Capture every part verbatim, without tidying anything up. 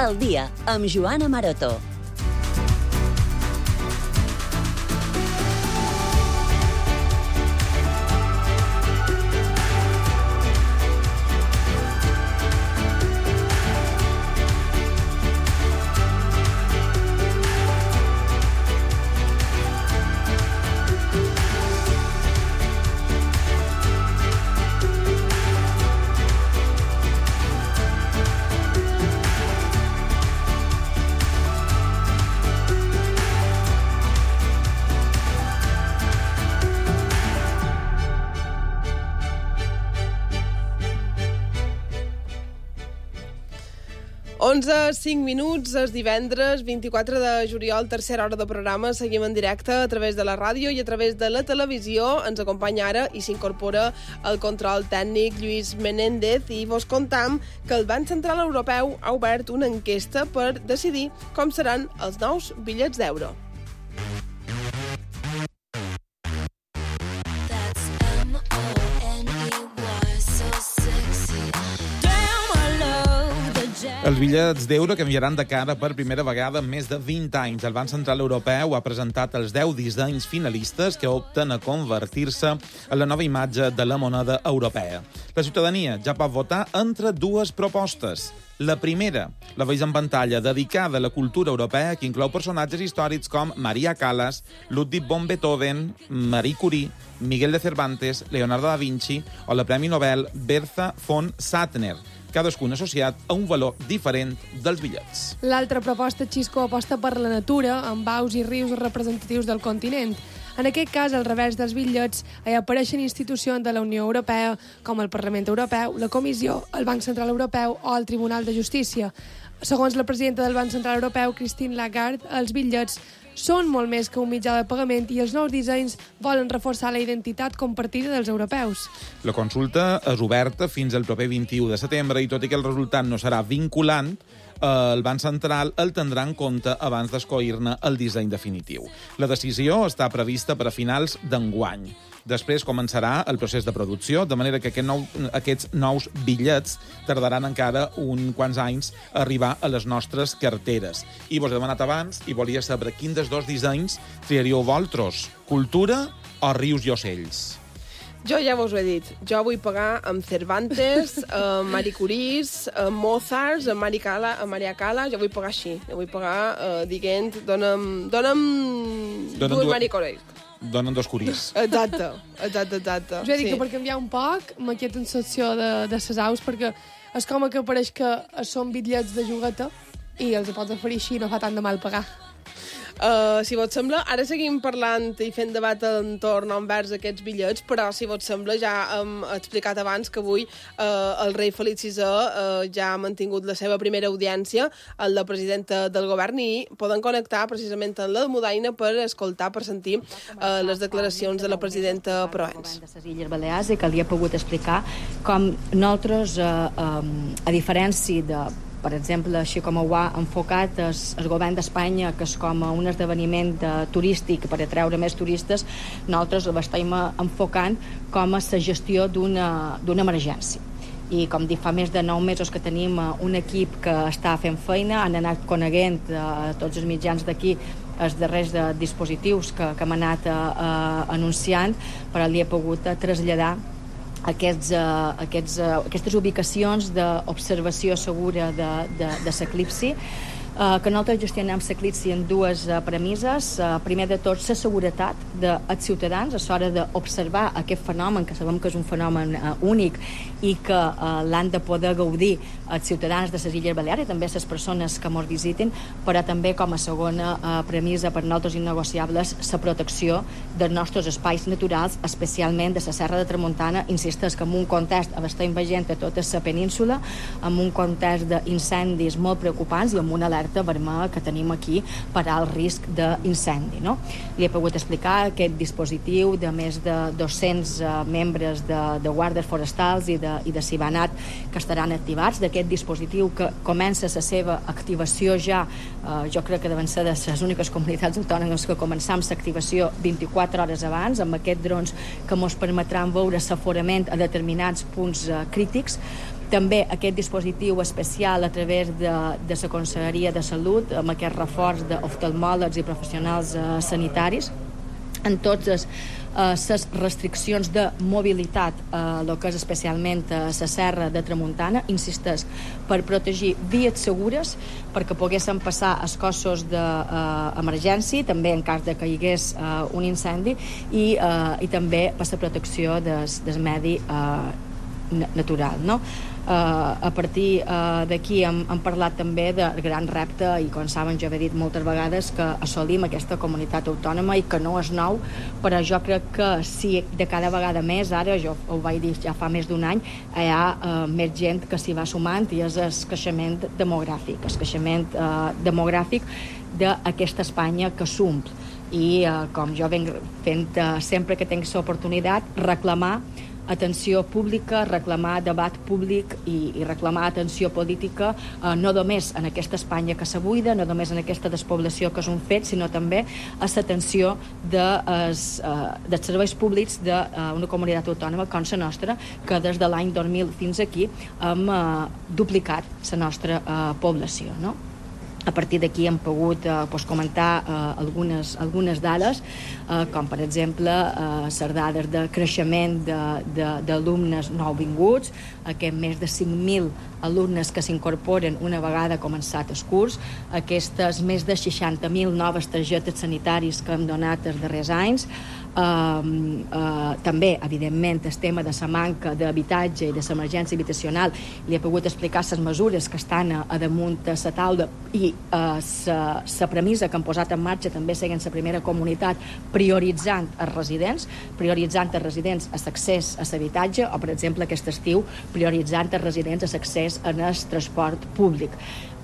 al dia, amb Joana Maroto. onze, cinc minuts, és divendres, vint-i-quatre de juliol, tercera hora de programa. Seguim en directe a través de la ràdio i a través de la televisió. Ens acompanya ara i s'incorpora el control tècnic Lluís Menéndez i vos contam que el Banc Central Europeu ha obert una enquesta per decidir com seran els nous bitllets d'euro. Els bitllets d'euro canviaran de cara per primera vegada en més de vint anys. El Banc Central Europeu ha presentat els deu dissenys finalistes que opten a convertir-se en la nova imatge de la moneda europea. La ciutadania ja pot votar entre dues propostes. La primera, la veus en pantalla, dedicada a la cultura europea, que inclou personatges històrics com Maria Callas, Ludwig von Beethoven, Marie Curie, Miguel de Cervantes, Leonardo da Vinci o la Premi Nobel Bertha von Suttner, cadascun associat a un valor diferent dels bitllets. L'altra proposta, Xisco, aposta per la natura, amb aus i rius representatius del continent. En aquest cas, al revés dels bitllets, hi apareixen institucions de la Unió Europea, com el Parlament Europeu, la Comissió, el Banc Central Europeu o el Tribunal de Justícia. Segons la presidenta del Banc Central Europeu, Christine Lagarde, els bitllets són molt més que un mitjà de pagament i els nous dissenys volen reforçar la identitat compartida dels europeus. La consulta és oberta fins al proper vint-i-u de setembre i tot i que el resultat no serà vinculant, el Banc Central el tindrà en compte abans d'escollir-ne el disseny definitiu. La decisió està prevista per a finals d'enguany. Després començarà el procés de producció, de manera que aquest nou, aquests nous bitllets tardaran encara uns quants anys a arribar a les nostres carteres. I vos he demanat abans i volia saber quin dels dos dissenys triaríeu vosaltres, cultura o rius i ocells? Jo ja vos ho he dit. Jo vull pagar amb Cervantes, amb Marie Curie, amb Mozart, amb Maria Cala, amb Maria Cala. Jo vull pagar així. Jo vull pagar uh, dient, dona'm, dona'm, dona'm dues Marie Curie. Donen dos curis. Exacte, exacte, exacte. Us he dit sí. que per canviar un poc m'aquieta en secció de, de ses aus, perquè és com que pareix que són bitllets de jugueta i els pots oferir així, no fa tant de mal pagar. Uh, si vos sembla, ara seguim parlant i fent debat entorn envers aquests bitllets, però si vos sembla ja hem explicat abans que avui uh, el rei Felip sisè uh, ja ha mantingut la seva primera audiència amb la presidenta del govern i poden connectar precisament amb la Mudaina per escoltar, per sentir uh, les declaracions de la presidenta Provenç. De les Illes Balears i que li he pogut explicar com nosaltres, uh, um, a diferència de per exemple, així com ho ha enfocat el, el govern d'Espanya, que és com un esdeveniment de, turístic per atreure més turistes, nosaltres l'estem enfocant com a la gestió d'una emergència. I com dic, fa més de nou mesos que tenim un equip que està fent feina, han anat coneguent a tots els mitjans d'aquí els darrers de dispositius que, que hem anat a, a, anunciant, però li he pogut traslladar Aquests, uh, aquests, uh, aquestes ubicacions d'observació segura de, de, de l'eclipsi, uh, que nosaltres gestionem l'eclipsi en dues uh, premisses. Uh, primer de tot, la seguretat dels ciutadans a l'hora d'observar aquest fenomen, que sabem que és un fenomen uh, únic i que uh, l'han de poder gaudir els ciutadans de les Illes Balears i també les persones que ens visiten, però també com a segona uh, premissa per nosaltres innegociables la protecció dels nostres espais naturals, especialment de la Serra de Tramuntana, insisteix que en un context estem veient a tota la península, en un context d'incendis molt preocupants i amb una alerta vermella que tenim aquí per al risc d'incendi. No? Li he pogut explicar aquest dispositiu de més de dos-cents uh, membres de, de guàrdies forestals i de, i de Cibanat que estaran activats, d'aquest dispositiu que comença la seva activació ja, uh, jo crec que deuen ser de les úniques comunitats autònomes que començam l'activació vint-i-quatre hores abans, amb aquests drons que ens permetran veure l'aforament a determinats punts uh, crítics. També aquest dispositiu especial a través de, de la Conselleria de Salut, amb aquest reforç d'oftalmòlegs i professionals eh, sanitaris, en totes les restriccions de mobilitat, eh, el que és especialment a la serra de Tramuntana, insisteix, per protegir vies segures, perquè poguessin passar els cossos d'emergència, eh, també en cas de que hi hagués eh, un incendi, i, eh, i també per la protecció del, del medi eh, natural, no? Uh, a partir uh, d'aquí hem, hem parlat també del gran repte, i com saben jo he dit moltes vegades que assolim aquesta comunitat autònoma i que no és nou, però jo crec que si de cada vegada més, ara jo ho vaig dir ja fa més d'un any, hi ha uh, més gent que s'hi va sumant, i és el creixement demogràfic, el creixement uh, demogràfic d'aquesta Espanya que s'omple. I uh, com jo venc fent uh, sempre que tinc l'oportunitat, reclamar atenció pública, reclamar debat públic i, i reclamar atenció política, eh, no només en aquesta Espanya que se buida, no només en aquesta despoblació que és un fet, sinó també a l'atenció de, eh, dels serveis públics d'una eh, comunitat autònoma com la nostra, que des de l'any dos mil fins aquí hem eh, duplicat la nostra eh, població, no? A partir d'aquí hem pogut eh, pues, comentar eh, algunes, algunes dades, eh, com per exemple eh, les dades de creixement d'alumnes nouvinguts, aquest més de cinc mil alumnes que s'incorporen una vegada començat el curs, aquestes més de seixanta mil noves targetes sanitaris que hem donat els darrers anys, Uh, uh, també, evidentment, el tema de la manca d'habitatge i de l'emergència habitacional. Li he pogut explicar les mesures que estan a, a damunt de la taula, i la uh, premissa que han posat en marxa també seguint la primera comunitat, prioritzant els residents, prioritzant els residents a l'accés a l'habitatge, o, per exemple, aquest estiu, prioritzant els residents a l'accés en el transport públic.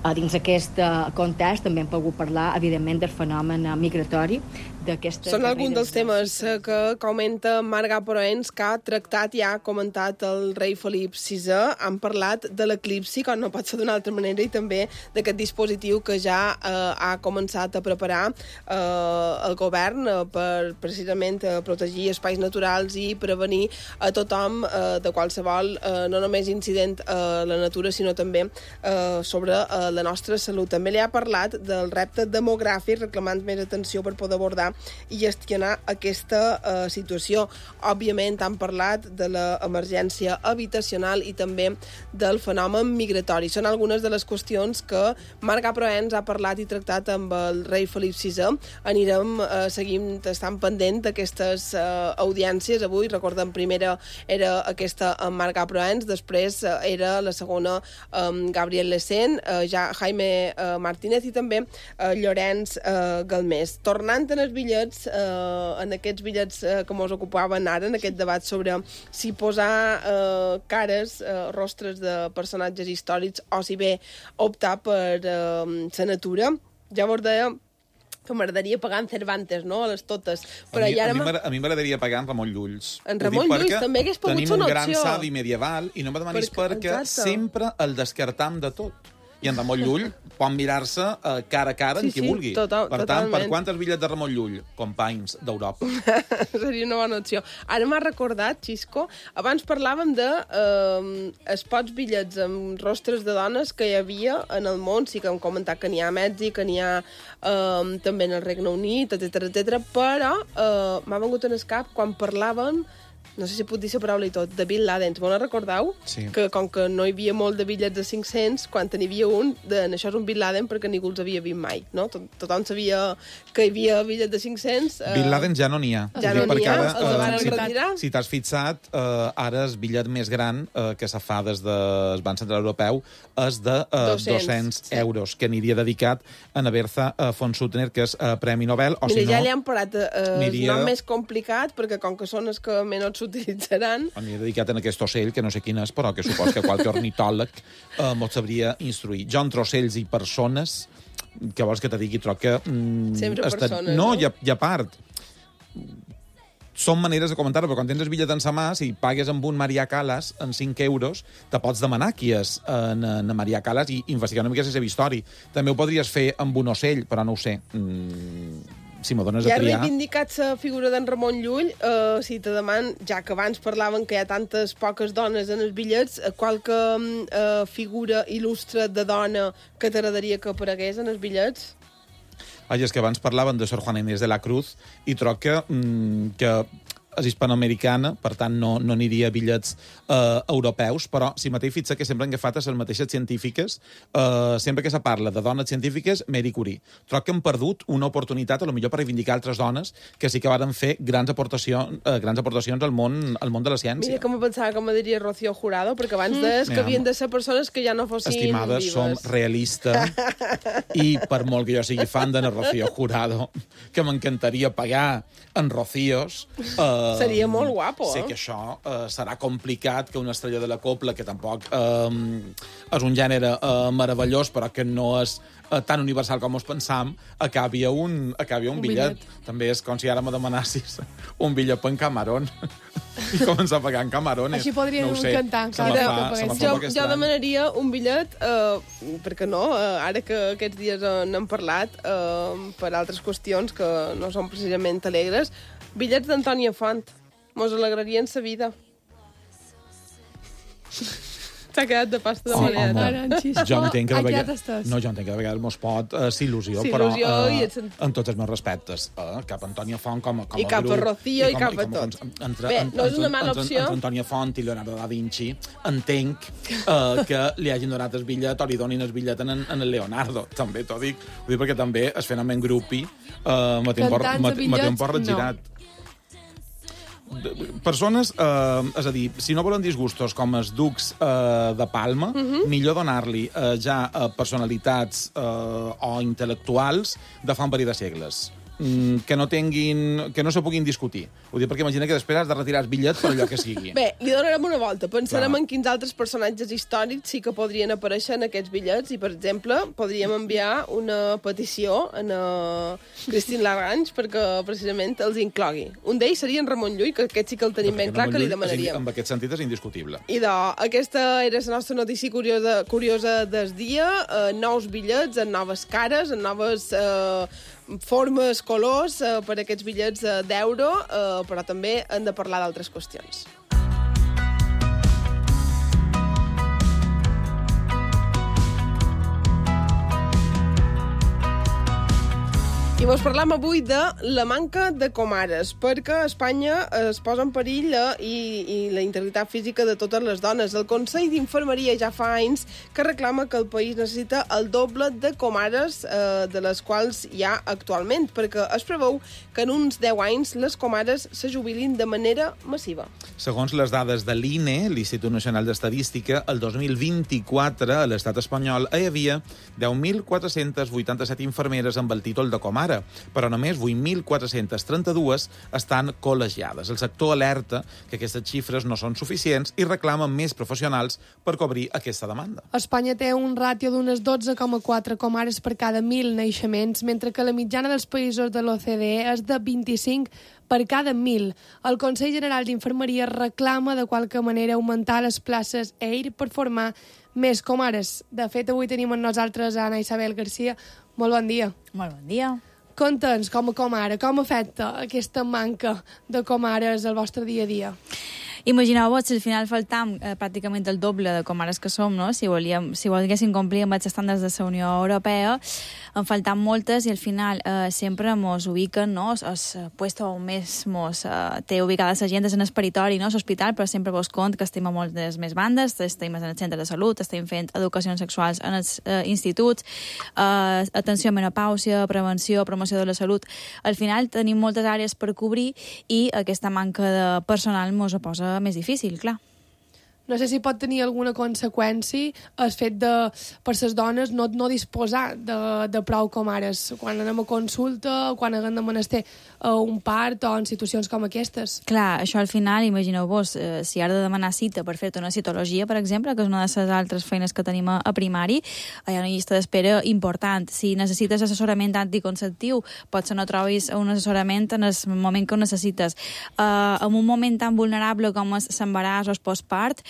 Uh, dins d'aquest uh, context també hem pogut parlar, evidentment, del fenomen uh, migratori. Són alguns dels temes que comenta Marga Proens, que ha tractat i ha comentat el rei Felip sisè. Han parlat de l'eclipsi, com no pot ser d'una altra manera, i també d'aquest dispositiu que ja eh, ha començat a preparar eh, el govern eh, per precisament eh, protegir espais naturals i prevenir a tothom eh, de qualsevol, eh, no només incident a la natura, sinó també eh, sobre eh, la nostra salut. També li ha parlat del repte demogràfic, reclamant més atenció per poder abordar i gestionar aquesta uh, situació. Òbviament han parlat de l'emergència habitacional i també del fenomen migratori. Són algunes de les qüestions que Marga Proens ha parlat i tractat amb el rei Felip sisè. Anirem uh, seguint, estant pendent d'aquestes uh, audiències. Avui, recordem, primera era aquesta amb Marga Proens, després uh, era la segona amb Gabriel Lecén, uh, ja Jaime uh, Martínez i també uh, Llorenç uh, Galmés. Tornant en els bitllets, eh, en aquests bitllets eh, que mos ocupaven ara, en aquest debat sobre si posar eh, cares, eh, rostres de personatges històrics o si bé optar per eh, la natura, ja vos deia que m'agradaria pagar en Cervantes, no?, a les totes. Però a mi, ara a mi m'agradaria pagar en Ramon Llulls. En Ramon Llull també hagués pogut ser una opció. Tenim un gran savi medieval i no me demanis perquè, perquè sempre el descartam de tot. I en Ramon Llull pot mirar-se uh, cara a cara sí, amb qui sí, vulgui. Total, per tant, totalment. per quantes bitllets de Ramon Llull? Companys d'Europa. Seria una bona opció. Ara m'ha recordat, Xisco, abans parlàvem de eh, els pocs bitllets amb rostres de dones que hi havia en el món. Sí que hem comentat que n'hi ha a Mèxic, que n'hi ha eh, també en el Regne Unit, etcètera, etcètera. Però eh, m'ha vengut en el cap quan parlàvem, no sé si puc dir la paraula i tot, de Bin Laden. Vos no recordeu? Sí. Que com que no hi havia molt de bitllets de cinc-cents, quan n'hi havia un, de, això és un Bin Laden perquè ningú els havia vist mai, no? Tot, tothom sabia que hi havia bitllets de cinc-cents. Eh... Bin Laden ja no n'hi ha. Ja no n'hi ha, ara, els van si, retirar. Si t'has fixat, eh, ara el bitllet més gran eh, que se fa des del Banc Central Europeu és de eh, dos-cents euros, que aniria dedicat a Naberza eh, von Suttner, que és eh, Premi Nobel. O Mira, si no, ja li han parat eh, aniria... el nom més complicat, perquè com que són els que menys s'utilitzaran. M'he dedicat en aquest ocell, que no sé quin és, però que supos que qualque ornitòleg eh, m'ho sabria instruir. Jo entre ocells i persones, que vols que te digui, troc que... Mm, Sempre estat... persones, no? no? I a, i a part, són maneres de comentar-ho, però quan tens el bitllet en sa mà, si pagues amb un Maria Callas en cinc euros, te pots demanar qui és en, en Maria Callas i investigar una mica la seva història. També ho podries fer amb un ocell, però no ho sé. Mm, si m'ho dones ja a triar... Ja ha reivindicat la figura d'en Ramon Llull, eh, si te deman, ja que abans parlaven que hi ha tantes poques dones en els bitllets, qualque eh, figura il·lustre de dona que t'agradaria que aparegués en els bitllets? Ai, és que abans parlaven de Sor Juana Inés de la Cruz i troc que, mm, que és hispanoamericana, per tant no, no aniria a bitllets eh, europeus, però si mateix fixa que sempre han agafat les mateixes científiques, eh, sempre que se parla de dones científiques, Marie Curie. Troc que han perdut una oportunitat, a lo millor per reivindicar altres dones que sí que varen fer grans aportacions, eh, grans aportacions al món, al món de la ciència. Mira com pensava que me diria Rocío Jurado, perquè abans deies que havien de ser persones que ja no fossin Estimades, vives. som realistes i per molt que jo sigui fan de Rocío Jurado, que m'encantaria pagar en Rocíos... Eh, Seria molt guapo, sé eh? que això eh, serà complicat, que una estrella de la copla, que tampoc eh, és un gènere eh, meravellós, però que no és eh, tan universal com us pensam, acabi a un, acabi a un, Un bitllet. bitllet. També és com si ara me demanassis un bitllet per en Camarón i començar a pagar en Camarones. Així podríem no ho sé, cantar, se me cada fa, cop se me fa Jo, un poc jo estrany. demanaria un bitllet, eh, perquè no, eh, ara que aquests dies eh, n'hem parlat, eh, per altres qüestions que no són precisament alegres, bitllets d'Antònia Font. Mos alegrarien sa vida. S'ha quedat de pasta de Oh, manera. home. Ara, en xispa, Jo entenc que de ha quedat vegades... estès. No, jo entenc que de vegades mos pot uh, ser il·lusió, Sí, però il·lusió uh, i et sent- amb tots els meus respectes. Uh, cap a Antònia Font com, a- com I a cap a grup. Rocío i cap a com tot. Entre, Bé, entre, no és una mala entre, opció. Entre Antònia Font i Leonardo da Vinci entenc uh, que li hagin donat el bitllet o li donin el bitllet en, en el Leonardo. També t'ho dic. Ho dic perquè també es fenomen grupi uh, me té un por- Cantants me- a me té un bitllets, por regirat. Persones, eh, és a dir, si no volen disgustos com els ducs eh, de Palma, uh -huh. millor donar-li eh, ja a personalitats eh, o intel·lectuals de fa un parell de segles. Mm, que no tinguin, que no se puguin discutir. Ho dic perquè imagina que després has de retirar el bitllet per allò que sigui. Bé, li donarem una volta. Pensarem Clar. en quins altres personatges històrics sí que podrien aparèixer en aquests bitllets i, per exemple, podríem enviar una petició a na Christine Lagrange perquè precisament els inclogui. Un d'ells seria en Ramon Llull, que aquest sí que el tenim ben clar que li demanaríem. En aquest sentit és indiscutible. Idò, aquesta era la nostra notícia curiosa, curiosa del dia. Eh, nous bitllets, en noves cares, en noves eh, formes, colors, eh, per aquests bitllets eh, d'euro, eh, però també hem de parlar d'altres qüestions. I vos parlam avui de la manca de comares, perquè a Espanya es posa en perill la, i, i la integritat física de totes les dones. El Consell d'Infermeria ja fa anys que reclama que el país necessita el doble de comares eh, de les quals hi ha actualment, perquè es preveu que en uns deu anys les comares se jubilin de manera massiva. Segons les dades de l'I N E, l'Institut Nacional d'Estadística, el dos mil vint-i-quatre a l'estat espanyol hi havia deu mil quatre-cents vuitanta-set infermeres amb el títol de comare, però només vuit mil quatre-cents trenta-dos estan col·legiades. El sector alerta que aquestes xifres no són suficients i reclama més professionals per cobrir aquesta demanda. Espanya té un ràtio d'unes dotze coma quatre comares per cada mil naixements, mentre que la mitjana dels països de l'O C D E és de vint-i-cinc per cada mil. El Consell General d'Infermeria reclama de qualque manera augmentar les places E I R per formar més comares. De fet, avui tenim amb nosaltres a Ana Isabel Garcia. Molt bon dia. Molt bon dia. Conta'ns com a comare, com afecta aquesta manca de comares al vostre dia a dia? Imagineu-vos si al final faltam eh, pràcticament el doble de comares que som, no? Si, volíem, si volguéssim complir amb els estàndards de la Unió Europea, en faltam moltes i al final eh, sempre mos ubiquen, no? El puesto on més mos eh, té ubicada la gent és en el peritori, no? L'hospital, però sempre vos compte que estem a moltes més bandes, estem en el centre de salut, estem fent educacions sexuals en els eh, instituts, eh, atenció a menopàusia, prevenció, promoció de la salut. Al final tenim moltes àrees per cobrir i aquesta manca de personal mos ho posa més difícil, clar. No sé si pot tenir alguna conseqüència el fet de, per les dones, no, no disposar de, de prou comares quan anem a consulta, quan haguem de menester uh, un part o en situacions com aquestes. Clar, això al final, imagineu-vos, eh, si has de demanar cita per fer-te una citologia, per exemple, que és una de les altres feines que tenim a, a primari, hi ha una llista d'espera important. Si necessites assessorament anticonceptiu, potser no trobis un assessorament en el moment que ho necessites. Eh, en un moment tan vulnerable com és l'embaràs o el postpart,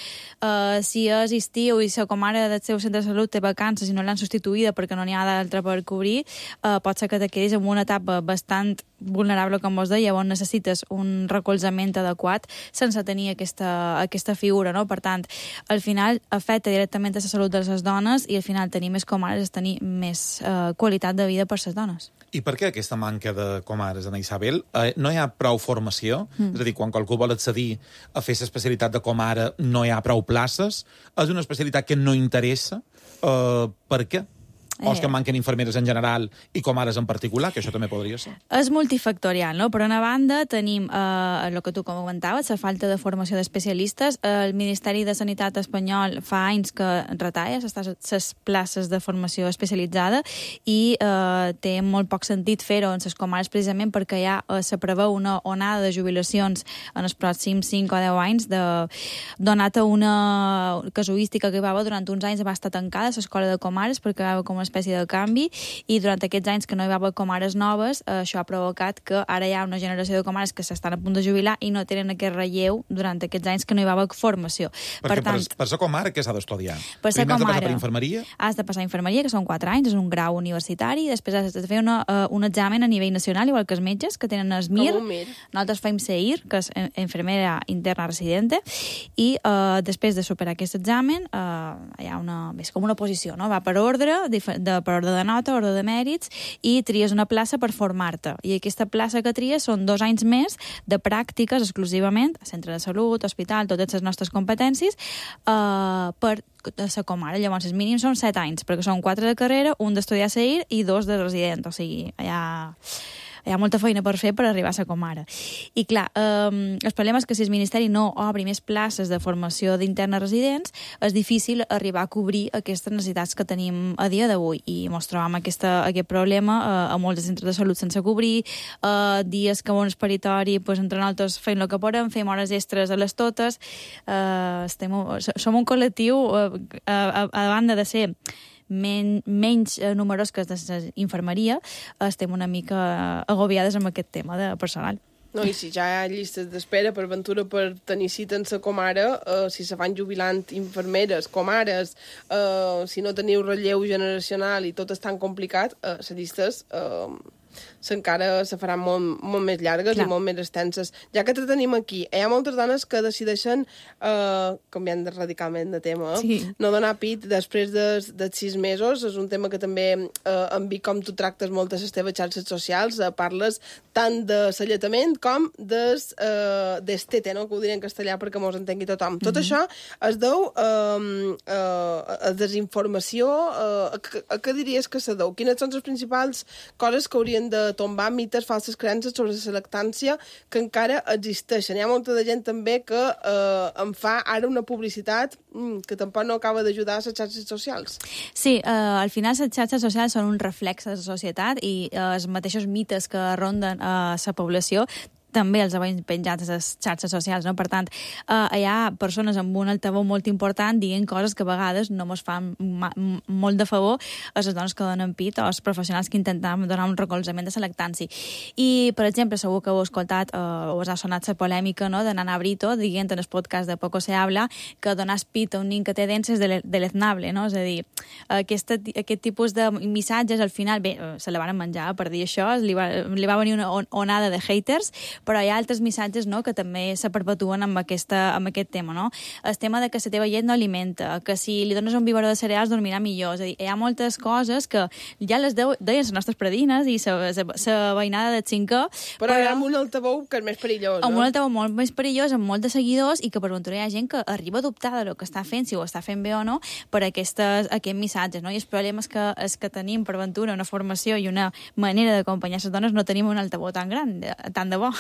uh, si és estiu i la comare del seu centre de salut té vacances i no l'han substituïda perquè no n'hi ha d'altra per cobrir, uh, pot ser que te quedis en una etapa bastant vulnerable, com vos deia, on necessites un recolzament adequat sense tenir aquesta, aquesta figura, no? Per tant, al final afecta directament a la salut de les dones i al final tenir més comares és tenir més uh, qualitat de vida per les dones. I per què aquesta manca de comares, Ana Isabel? Eh, no hi ha prou formació? Mm. És a dir, quan qualcú vol accedir a fer l'especialitat de comare no hi ha prou places? És una especialitat que no interessa? Eh, per què? O és que manquen infermeres en general i comares en particular, que això també podria ser? És multifactorial, no? Per una banda, tenim eh, el que tu comentaves, la falta de formació d'especialistes. El Ministeri de Sanitat espanyol fa anys que retalla les places de formació especialitzada i eh, té molt poc sentit fer-ho en les comares precisament perquè ja eh, se preveu una onada de jubilacions en els pròxims cinc o deu anys, de, donat a una casuística que va haver durant uns anys, va estar tancada l'escola de comares perquè va haver com espècie de canvi i durant aquests anys que no hi va haver comares noves, eh, això ha provocat que ara hi ha una generació de comares que s'estan a punt de jubilar i no tenen aquest relleu durant aquests anys que no hi va haver formació. Perquè per, tant, per, per ser comare què s'ha d'estudiar? Per ser Primer has de comare, passar per infermeria? Has de passar infermeria, que són quatre anys, és un grau universitari, després has de fer una, uh, un examen a nivell nacional, igual que els metges, que tenen el M I R. Com un M I R. Nosaltres fem C I R, que és infermera interna residente, i uh, després de superar aquest examen uh, hi ha una, és com una posició, no? Va per ordre, de, per ordre de nota, ordre de mèrits, i tries una plaça per formar-te. I aquesta plaça que tries són dos anys més de pràctiques exclusivament a centre de salut, hospital, totes les nostres competències, uh, per ser comare. Llavors, els mínims són set anys, perquè són quatre de carrera, un d'estudiar C I R i dos de resident. O sigui, hi ha... hi ha molta feina per fer per arribar a ser comare. I clar, eh, el problema és que si el Ministeri no obri més places de formació d'internes residents, és difícil arribar a cobrir aquestes necessitats que tenim a dia d'avui. I ens trobam aquesta, aquest problema eh, a molts centres de salut sense cobrir, eh, dies que on és peritori, pues, entre nosaltres fem el que podem, fem hores extres a les totes. Eh, estem, som un col·lectiu, eh, a, a banda de ser Men, menys eh, numerós que de la infermeria, estem una mica agobiades amb aquest tema de personal. No, i si ja hi ha llistes d'espera per ventura per tenir cita en sa comare, eh, si se van jubilant infermeres, comares, eh, si no teniu relleu generacional i tot és tan complicat, eh, les llistes... Eh, encara se faran molt, molt més llargues Clar. I molt més extenses. Ja que te tenim aquí, hi ha moltes dones que decideixen, eh, canviant radicalment de tema, sí. no donar pit després de, de sis mesos. És un tema que també eh, en vi com tu tractes moltes les teves xarxes socials, eh, parles tant de l'alletament com des, eh, d'estete, no? Que ho diré en castellà perquè mos entengui tothom. Mm-hmm. Tot això es deu eh, eh, a desinformació. Eh, a, a què diries que se deu? Quines són les principals coses que haurien de tombar mites, falses creences sobre la lactància que encara existeixen? Hi ha molta de gent també que eh, em fa ara una publicitat mm, que tampoc no acaba d'ajudar a les xarxes socials. Sí, eh, al final les xarxes socials són un reflex de la societat i eh, els mateixos mites que ronden a la població també els veiem penjats a les xarxes socials, no? Per tant, eh, hi ha persones amb un altaveu molt important dient coses que a vegades no ens fan molt de favor a les dones que donen pit o als professionals que intenten donar un recolzament de la lactància. I, per exemple, segur que heu escoltat eh, o us ha sonat la polèmica, no?, de Nana Brito dient en el podcast de Poco se habla que donar pit a un nin que té dents és deleznable, no? És a dir, aquesta, aquest tipus de missatges al final, bé, se la van menjar per dir això, li va, li va venir una onada de haters, però hi ha altres missatges, no?, que també se perpetuen amb, aquesta, amb aquest tema, no? El tema de que la teva llet no alimenta, que si li dones un biberó de cereals dormirà millor. És a dir, hi ha moltes coses que ja les deien les nostres predines i la veïnada de cinquè. Però, però hi ha un altaveu que és més perillós, no? Un altaveu molt més perillós, amb molts de seguidors, i que per ventura hi ha gent que arriba a dubtar del que està fent, si ho està fent bé o no, per aquestes, aquests missatges, no? I el problema és que, és que tenim per ventura una formació i una manera d'acompanyar les dones, no tenim un altaveu tan gran, tant de bo.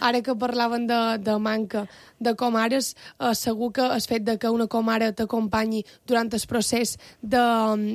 Ara que parlaven de, de manca de comares, eh, segur que el fet de que una comare t'acompanyi durant el procés de,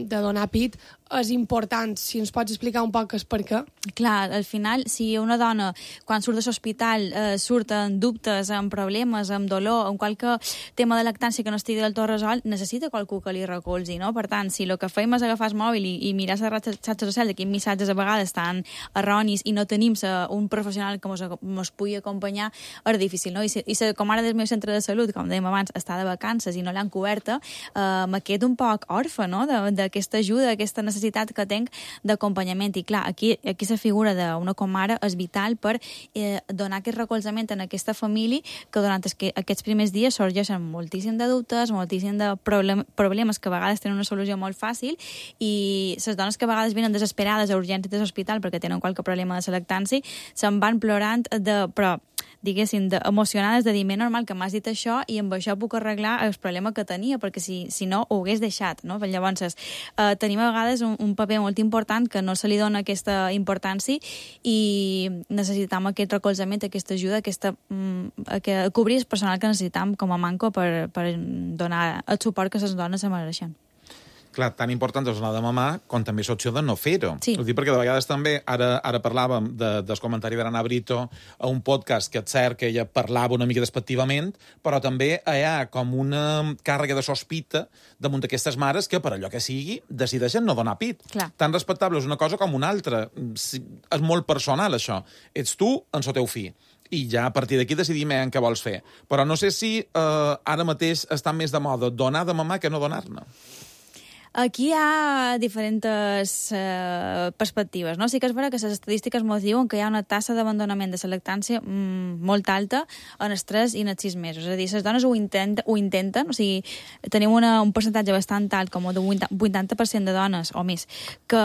de donar pit és important. Si ens pots explicar un poc és per què. Clar, al final, si una dona, quan surt de l'hospital, eh, surt amb dubtes, amb problemes, amb dolor, amb qualque tema de lactància que no estigui del tot resolt, necessita qualcú que li recolzi, no? Per tant, si el que fem és agafar el mòbil i, i mirar les xarxes socials, quins missatges a vegades estan erronis i no tenim un professional que ens pugui acompanyar, és difícil, no? I si, i si com ara del meu centre de salut, com dèiem abans, està de vacances i no l'han coberta, eh, me quedo un poc orfe, no?, d'aquesta ajuda, d'aquesta necessitat que tenc d'acompanyament. I clar, aquí, aquí la figura d'una comare és vital per eh, donar aquest recolzament en aquesta família que durant que, aquests primers dies sorgeixen moltíssim de dubtes, moltíssim de problem, problemes que a vegades tenen una solució molt fàcil i les dones que a vegades venen desesperades a urgències de l'hospital perquè tenen qualque problema de la lactància se'n van plorant de... però diguéssim, de, emocionades de dir, més normal que m'has dit això i amb això puc arreglar el problema que tenia, perquè si, si no ho hagués deixat, no? Llavors, eh, tenim a vegades un, un paper molt important que no se li dona aquesta importància i necessitam aquest recolzament, aquesta ajuda, aquesta, mm, que cobrir el personal que necessitam com a manco per, per donar el suport que les dones se mereixen. Clar, tan important és donar de mamar com també l'opció de no fer-ho. Sí. Ho dic perquè de vegades també, ara, ara parlàvem de, del comentari d'Anna Brito a un podcast que és cert que ella parlava una mica despectivament, però també hi ha com una càrrega de sospita damunt d'aquestes mares que, per allò que sigui, decideixen no donar pit. Clar. Tan respectable és una cosa com una altra. Si, és molt personal, això. Ets tu en el teu fill. I ja a partir d'aquí decidim en què vols fer. Però no sé si eh, ara mateix està més de moda donar de mamar que no donar-ne. Aquí hi ha diferents eh, perspectives, no? Sí que és vera que les estadístiques ens diuen que hi ha una tassa d'abandonament de la lactància mm, molt alta en els tres i en els sis mesos. És a dir, les dones ho, intent, ho intenten, o sigui, tenim una, un percentatge bastant alt, com de vuitanta per cent de dones o més, que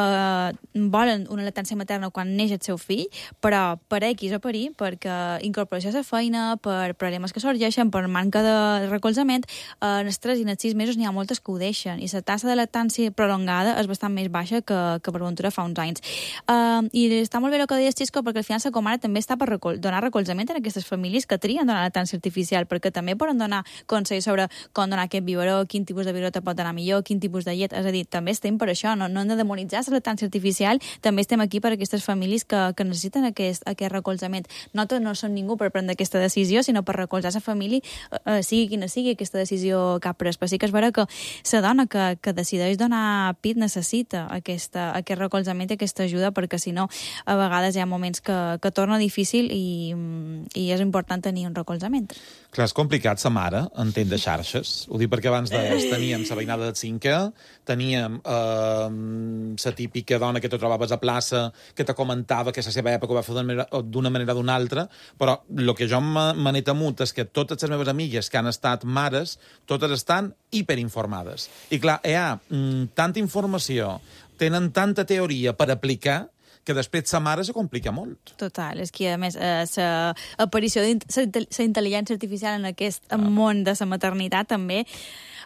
volen una lactància materna quan neix el seu fill, però per X o per Y, perquè incorporació a la feina, per problemes que sorgeixen, per manca de recolzament, en els tres i en els sis mesos n'hi ha moltes que ho deixen, i la tassa de lactància prolongada és bastant més baixa que, que per ventura fa uns anys. Uh, I està molt bé el que deies, Xisco, perquè al final la comare també està per recol donar recolzament a aquestes famílies que trien donar lactància artificial, perquè també poden donar consells sobre com donar aquest biberó, quin tipus de biberó te pot donar millor, quin tipus de llet, és a dir, també estem per això, no, no hem de demonitzar la lactància artificial, també estem aquí per aquestes famílies que, que necessiten aquest, aquest recolzament. Nosaltres no som ningú per prendre aquesta decisió, sinó per recolzar la família, uh, sigui quina sigui aquesta decisió que ha pres. Però sí que és vera que la dona que, que decideix donar pit necessita aquesta, aquest recolzament i aquesta ajuda, perquè si no a vegades hi ha moments que, que torna difícil i, i és important tenir un recolzament. Clar, és complicat sa mare, entén de xarxes. Ho dic perquè abans deies, teníem la veïnada de cinquè, teníem eh, la típica dona que te trobaves a plaça, que te comentava que la seva època ho va fer d'una manera o d'una altra, però el que jo me n'he temut és que totes les meves amigues que han estat mares, totes estan hiperinformades. I clar, hi ha mm, tanta informació, tenen tanta teoria per aplicar, que després sa mare se complica molt. Total, és que a més l'aparició de la intel·ligència artificial en aquest ah. món de la maternitat també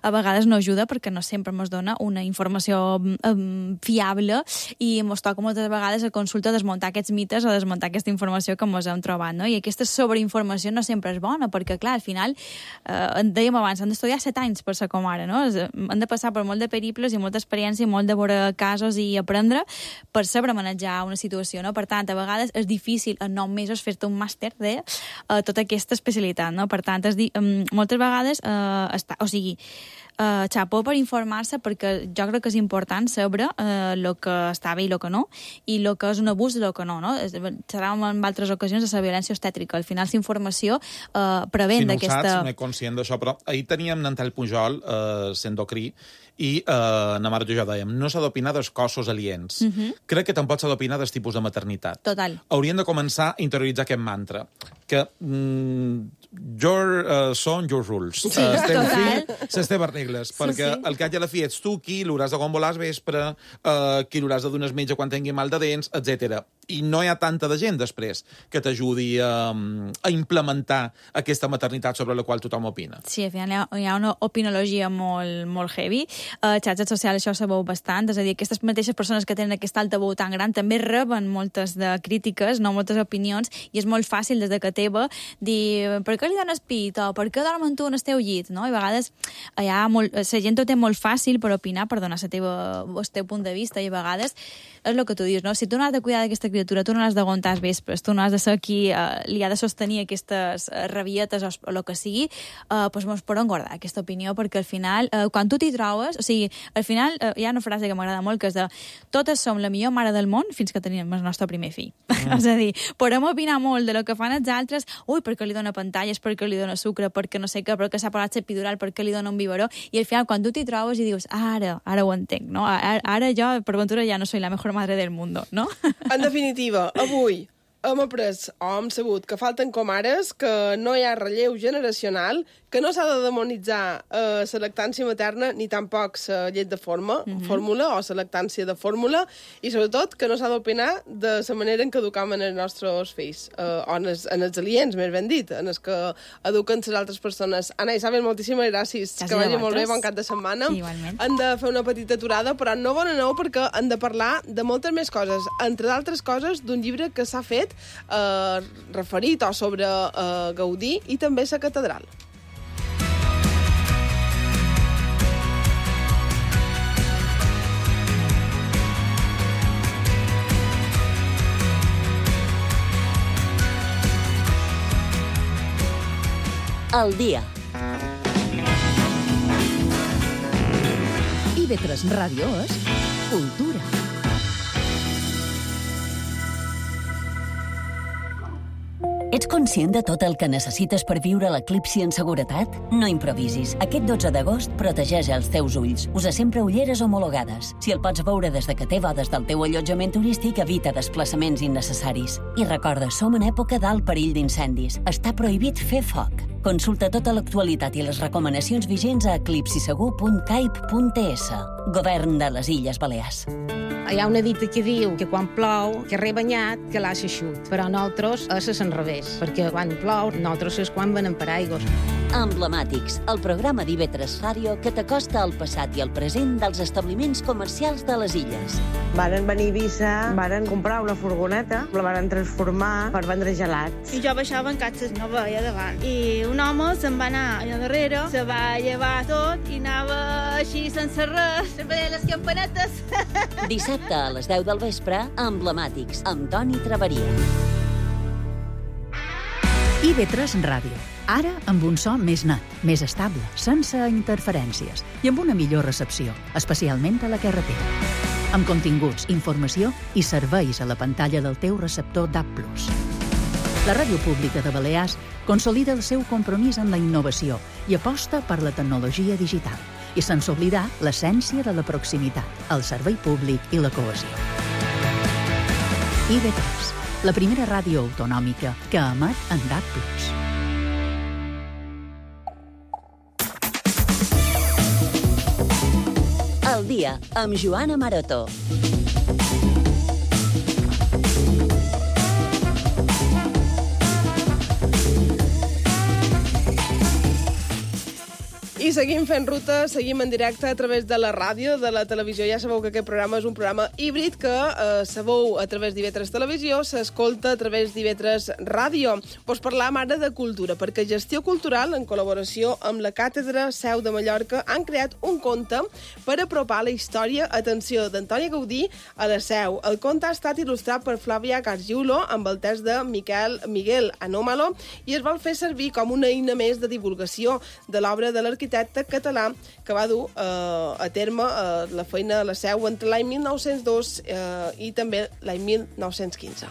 a vegades no ajuda perquè no sempre ens dona una informació um, fiable i ens toca moltes vegades a consulta desmuntar aquests mites o desmuntar aquesta informació que ens hem trobat, no? I aquesta sobreinformació no sempre és bona perquè, clar, al final, eh, dèiem abans, han d'estudiar set anys per ser comare, no? Han de passar per molt de periples i molta experiència i molt de veure casos i aprendre per saber manejar una situació, no? Per tant, a vegades és difícil en nou mesos fer-te un màster de uh, tota aquesta especialitat, no? Per tant, és di um, moltes vegades, uh, està, o sigui, Uh, xapó per informar-se, perquè jo crec que és important saber el uh, que està bé i el que no, i el que és un abús i el que no, no? Xerràvem en altres ocasions de la violència obstètrica. Al final, la informació uh, prevent si no d'aquesta... Si no ho saps, no és conscient d'això, però ahir teníem Nantel Pujol, uh, s'endocrí, i uh, na mare i jo dèiem, no s'ha d'opinar dels cossos aliens. Uh -huh. Crec que tampoc s'ha d'opinar dels tipus de maternitat. Total. Hauríem de començar a interioritzar aquest mantra, que mm, your uh, son, your rules. Sí, uh, estem total. fi, les teves regles, Sí, perquè sí. al cap i a la fi ets tu qui l'hauràs de gombolar al vespre, uh, qui l'hauràs de donar al metge quan tingui mal de dents, etcètera. i no hi ha tanta de gent després que t'ajudi a, a implementar aquesta maternitat sobre la qual tothom opina. Sí, al final hi ha, hi ha una opinologia molt, molt heavy. A xarxes socials això se veu bastant, és a dir, aquestes mateixes persones que tenen aquest altaveu tan gran també reben moltes de crítiques, no moltes opinions, i és molt fàcil des de que teva dir per què li dones pit o per què dormen tu en el teu llit, no? I a vegades hi ha molt, la gent ho té molt fàcil per opinar, per donar la teva, el teu punt de vista, i a vegades és el que tu dius, no? Si tu no has de cuidar d'aquesta criatura, tu no l'has d'aguantar als vespres, tu no has de ser qui eh, li ha de sostenir aquestes eh, rabietes o, o el que sigui, eh, doncs mos podem guardar aquesta opinió, perquè al final, eh, quan tu t'hi trobes, o sigui, al final eh, hi ha una frase que m'agrada molt, que és de totes som la millor mare del món fins que tenim el nostre primer fill. Mm. És a dir, podem opinar molt de lo que fan els altres, ui, perquè li dona pantalles, perquè li dona sucre, perquè no sé què, perquè s'ha parat l'epidural, perquè li dona un biberó, i al final, quan tu t'hi trobes i dius, ara, ara ho entenc, no? Ara, ara jo, per ventura, ja no soy la mejor madre del mundo, no? En definitiva, avui hem après o hem sabut que falten comares, que no hi ha relleu generacional, que no s'ha de demonitzar eh, la lactància materna ni tampoc la llet de forma, mm -hmm. fórmula o la lactància de fórmula, i sobretot que no s'ha d'opinar de la manera en què educam els nostres fills, eh, o en els, en els aliens, més ben dit, en els que eduquen les altres persones. Anna Isabel, moltíssimes gràcies, gràcies que vagi molt bé, bon cap de setmana. Sí, igualment. Hem de fer una petita aturada, però no bon aneu perquè hem de parlar de moltes més coses, entre d'altres coses d'un llibre que s'ha fet eh, referit o sobre eh, Gaudí i també la catedral. El dia. I ve tres Ràdio és cultura. Ets conscient de tot el que necessites per viure l'eclipsi en seguretat? No improvisis. Aquest dotze d'agost protegeix els teus ulls. Usa sempre ulleres homologades. Si el pots veure des de que té des del teu allotjament turístic, evita desplaçaments innecessaris. I recorda, som en època d'alt perill d'incendis. Està prohibit fer foc. Consulta tota l'actualitat i les recomanacions vigents a eclipsisegur punt caip punt es. Govern de les Illes Balears. Hi ha una dita que diu que quan plou, que rebanyat, que l'ha eixut. Però nosaltres és al revés, perquè quan plou, nosaltres és quan venem paraigües. Emblemàtics, el programa d'I V tres Ràdio que t'acosta al passat i al present dels establiments comercials de les illes. Varen venir a Eivissa, varen comprar una furgoneta, la varen transformar per vendre gelats. I jo baixava en catxes, no veia davant. I un home se'n va anar allà darrere, se va llevar tot i anava així sense res, sempre deia les campanetes. Dissabte a les deu del vespre, Emblemàtics, amb Toni Traveria. I V tres Ràdio. Ara amb un so més net, més estable, sense interferències i amb una millor recepció, especialment a la carretera. Amb continguts, informació i serveis a la pantalla del teu receptor D A B plus. La Ràdio Pública de Balears consolida el seu compromís amb la innovació i aposta per la tecnologia digital, i sense oblidar l'essència de la proximitat, el servei públic i la cohesió. I V tres, la primera ràdio autonòmica que emet en D A B plus. El dia, amb Joana Maroto. I seguim fent ruta, seguim en directe a través de la ràdio, de la televisió. Ja sabeu que aquest programa és un programa híbrid que eh, sabeu a través d'I V tres Televisió, s'escolta a través d'I V tres Ràdio. Pues parlam ara de cultura, perquè Gestió Cultural, en col·laboració amb la Càtedra Seu de Mallorca, han creat un conte per apropar la història, atenció, d'Antoni Gaudí a la Seu. El conte ha estat il·lustrat per Flàvia Gargiulo amb el text de Miquel Miguel Anómalo i es vol fer servir com una eina més de divulgació de l'obra de l'arquitecte català que va dur eh, a terme eh, la feina a la Seu entre l'any mil nou-cents dos eh, i també l'any mil nou-cents quinze.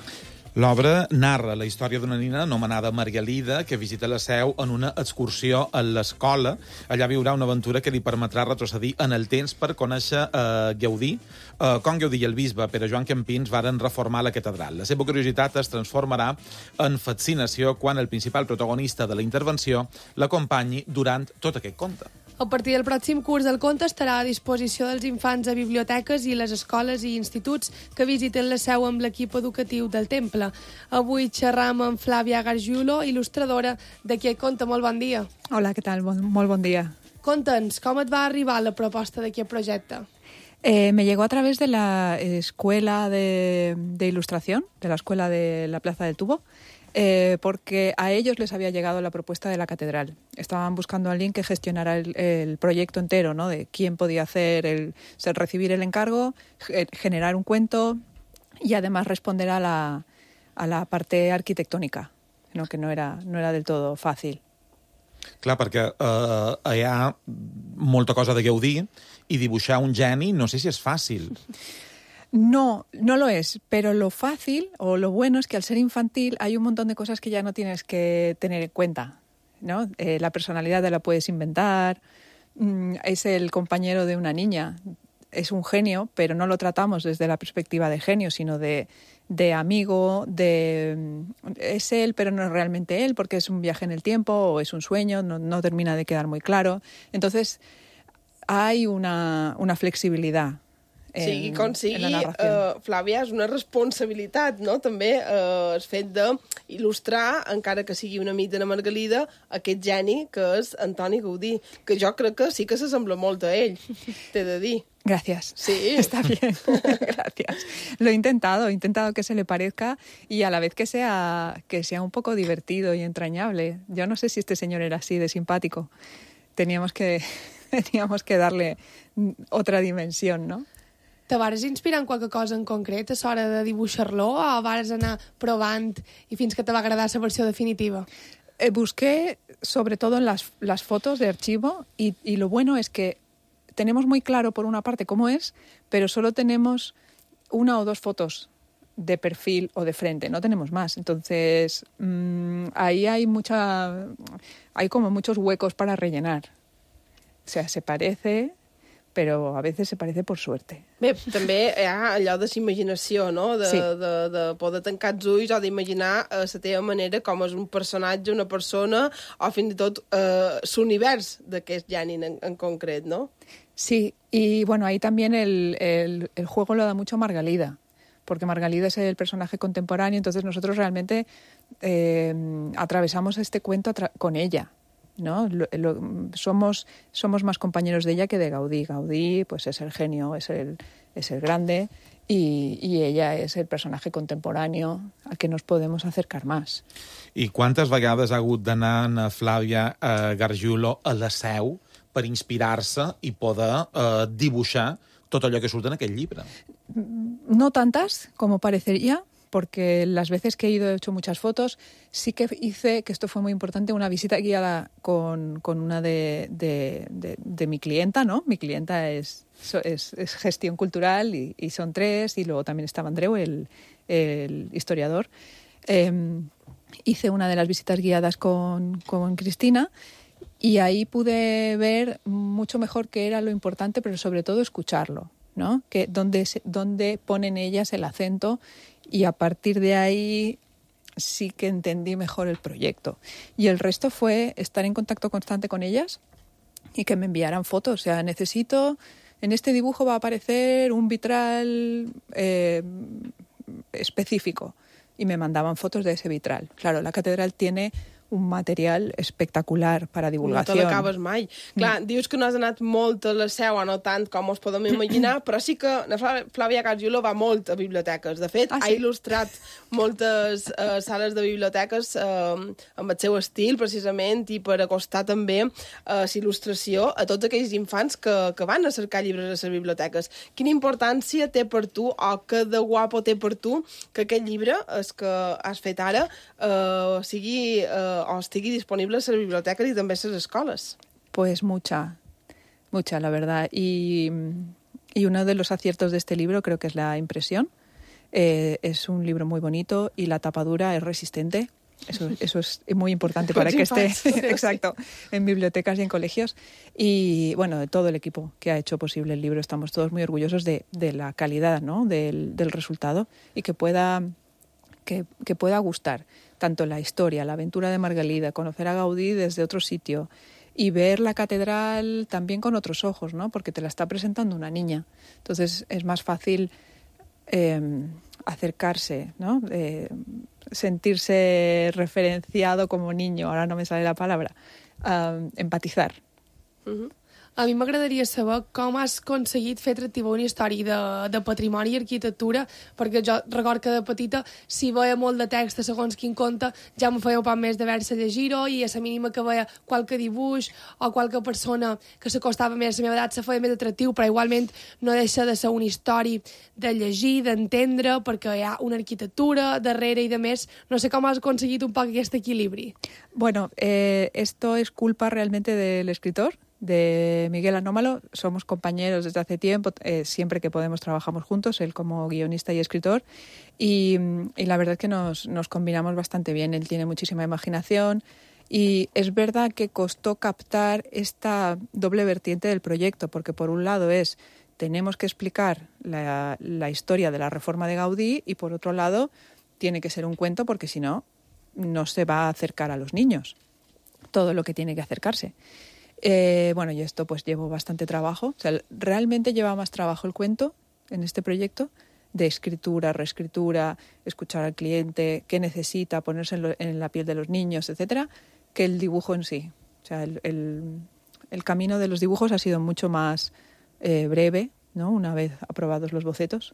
L'obra narra la història d'una nina anomenada Margalida que visita la Seu en una excursió a l'escola. Allà viurà una aventura que li permetrà retrocedir en el temps per conèixer eh, Gaudí, eh, com Gaudí i el bisbe Pere Joan Campins varen reformar la catedral. La seva curiositat es transformarà en fascinació quan el principal protagonista de la intervenció l'acompanyi durant tot aquest conte. A partir del pròxim curs el conte estarà a disposició dels infants a biblioteques i les escoles i instituts que visiten la seu amb l'equip educatiu del Temple. Avui xerram amb Flàvia Gargiulo, il·lustradora d'aquest conte. Molt bon dia. Hola, què tal? Bon, molt bon dia. Conta'ns, com et va arribar la proposta d'aquest projecte? Eh, me llegó a través de la escuela de, de ilustración, de la escuela de la Plaza del Tubo, eh, porque a ellos les había llegado la propuesta de la catedral. Estaban buscando a alguien que gestionara el, el proyecto entero, ¿no? De quién podía hacer el, o sea, recibir el encargo, generar un cuento y además responder a la, a la parte arquitectónica, ¿no? Que no era, no era del todo fácil. Clar, perquè eh, hi ha molta cosa de Gaudí i dibuixar un geni no sé si és fàcil. No, no lo es, pero lo fácil o lo bueno es que al ser infantil hay un montón de cosas que ya no tienes que tener en cuenta, ¿no? Eh, la personalidad te la puedes inventar, mm, es el compañero de una niña, es un genio, pero no lo tratamos desde la perspectiva de genio, sino de, de amigo, de es él, pero no es realmente él, porque es un viaje en el tiempo o es un sueño, no, no termina de quedar muy claro. Entonces, hay una, una flexibilidad. En, sigui com sigui, uh, Flàvia, és una responsabilitat, no? També uh, el fet d'il·lustrar, encara que sigui un amic de la Margalida, aquest geni que és Antoni Gaudí, que jo crec que sí que s'assembla molt a ell, t'he de dir. Gracias. Sí. Está bien. Gracias. Lo he intentado, he intentado que se le parezca y a la vez que sea, que sea un poco divertido y entrañable. Yo no sé si este señor era así de simpático. Teníamos que, teníamos que darle otra dimensión, ¿no? Te vares inspirar en qualque cosa en concret a l'hora de dibuixar-lo o vares anar provant i fins que te va agradar la versió definitiva? Eh, busqué sobre todo en las, las fotos de archivo y, y lo bueno es que tenemos muy claro por una parte cómo es, pero solo tenemos una o dos fotos de perfil o de frente, no tenemos más. Entonces, mmm, ahí hay mucha, hay como muchos huecos para rellenar. O sea, se parece, però a vegades se parece por suerte. Bé, també hi ha allò de la imaginació, no? De, sí. de, de poder tancar els ulls o d'imaginar a la teva manera com és un personatge, una persona, o fins i tot eh, l'univers d'aquest geni en, en concret, no? Sí, y bueno, ahí también el, el, el juego lo da mucho Margalida, porque Margalida es el personaje contemporáneo, entonces nosotros realmente eh, atravesamos este cuento atra- con ella, ¿no? Lo, lo, somos, somos más compañeros de ella que de Gaudí. Gaudí pues es el genio, es el, es el grande y, y ella es el personaje contemporáneo al que nos podemos acercar más. I quantes vegades ha hagut d'anar a Flàvia eh, Gargiulo a la seu per inspirar-se i poder eh, dibuixar tot allò que surt en aquell llibre? No tantas como parecería, porque las veces que he ido he hecho muchas fotos. Sí que hice, que esto fue muy importante, una visita guiada con, con una de, de, de, de mi clienta, ¿no? Mi clienta es, es, es gestión cultural y, y son tres, y luego también estaba Andreu, el, el historiador. Eh, hice una de las visitas guiadas con, con Cristina y ahí pude ver mucho mejor qué era lo importante, pero sobre todo escucharlo, ¿no? Que dónde, dónde ponen ellas el acento. Y a partir de ahí sí que entendí mejor el proyecto. Y el resto fue estar en contacto constante con ellas y que me enviaran fotos. O sea, necesito, en este dibujo va a aparecer un vitral eh, específico. Y me mandaban fotos de ese vitral. Claro, la catedral tiene un material espectacular para divulgació. No te l'acabes mai. Clar, mm. dius que no has anat molt a la seu, o no tant com us podem imaginar, però sí que Flàvia Gargiulo va molt a biblioteques. De fet, ah, sí? ha il·lustrat moltes uh, sales de biblioteques uh, amb el seu estil, precisament, i per acostar també uh, il·lustració a tots aquells infants que, que van a cercar llibres a les biblioteques. Quina importància té per tu, o que de guapo té per tu, que aquest llibre, el que has fet ara, uh, sigui... Uh, o estigui disponible a les biblioteques i també a les escoles? Pues mucha, mucha, la verdad. Y, y uno de los aciertos de este libro creo que es la impresión. Eh, es un libro muy bonito y la tapadura es resistente. Eso, eso es muy importante para que esté exacto, en bibliotecas y en colegios. Y bueno, de todo el equipo que ha hecho posible el libro, estamos todos muy orgullosos de, de la calidad, ¿no? del, del resultado y que pueda, que, que pueda gustar tanto la historia, la aventura de Margalida, conocer a Gaudí desde otro sitio y ver la catedral también con otros ojos, ¿no? Porque te la está presentando una niña. Entonces es más fácil eh, acercarse, ¿no? Eh, sentirse referenciado como niño, ahora no me sale la palabra, uh, empatizar. Uh-huh. A mi m'agradaria saber com has aconseguit fer atractiva una història de, de patrimoni i arquitectura, perquè jo record que de petita, si veia molt de text de segons quin conte, ja me feia un poc més d'haver-se llegir-ho, i a la mínima que veia qualque dibuix o qualque persona que s'acostava més a la meva edat se feia més atractiu, però igualment no deixa de ser una història de llegir, d'entendre, perquè hi ha una arquitectura darrere i de més. No sé com has aconseguit un poc aquest equilibri. Bueno, eh, esto es culpa realmente del escritor, de Miguel Anómalo. Somos compañeros desde hace tiempo, eh, siempre que podemos trabajamos juntos, él como guionista y escritor, y, y la verdad es que nos, nos combinamos bastante bien. Él tiene muchísima imaginación y es verdad que costó captar esta doble vertiente del proyecto, porque por un lado es tenemos que explicar la, la historia de la reforma de Gaudí, y por otro lado tiene que ser un cuento, porque si no, no se va a acercar a los niños todo lo que tiene que acercarse. Eh, bueno, y esto pues llevo bastante trabajo. O sea, realmente lleva más trabajo el cuento en este proyecto, de escritura, reescritura, escuchar al cliente, qué necesita, ponerse en, lo, en la piel de los niños, etcétera, que el dibujo en sí. O sea, el, el, el camino de los dibujos ha sido mucho más eh, breve, ¿no? Una vez aprobados los bocetos.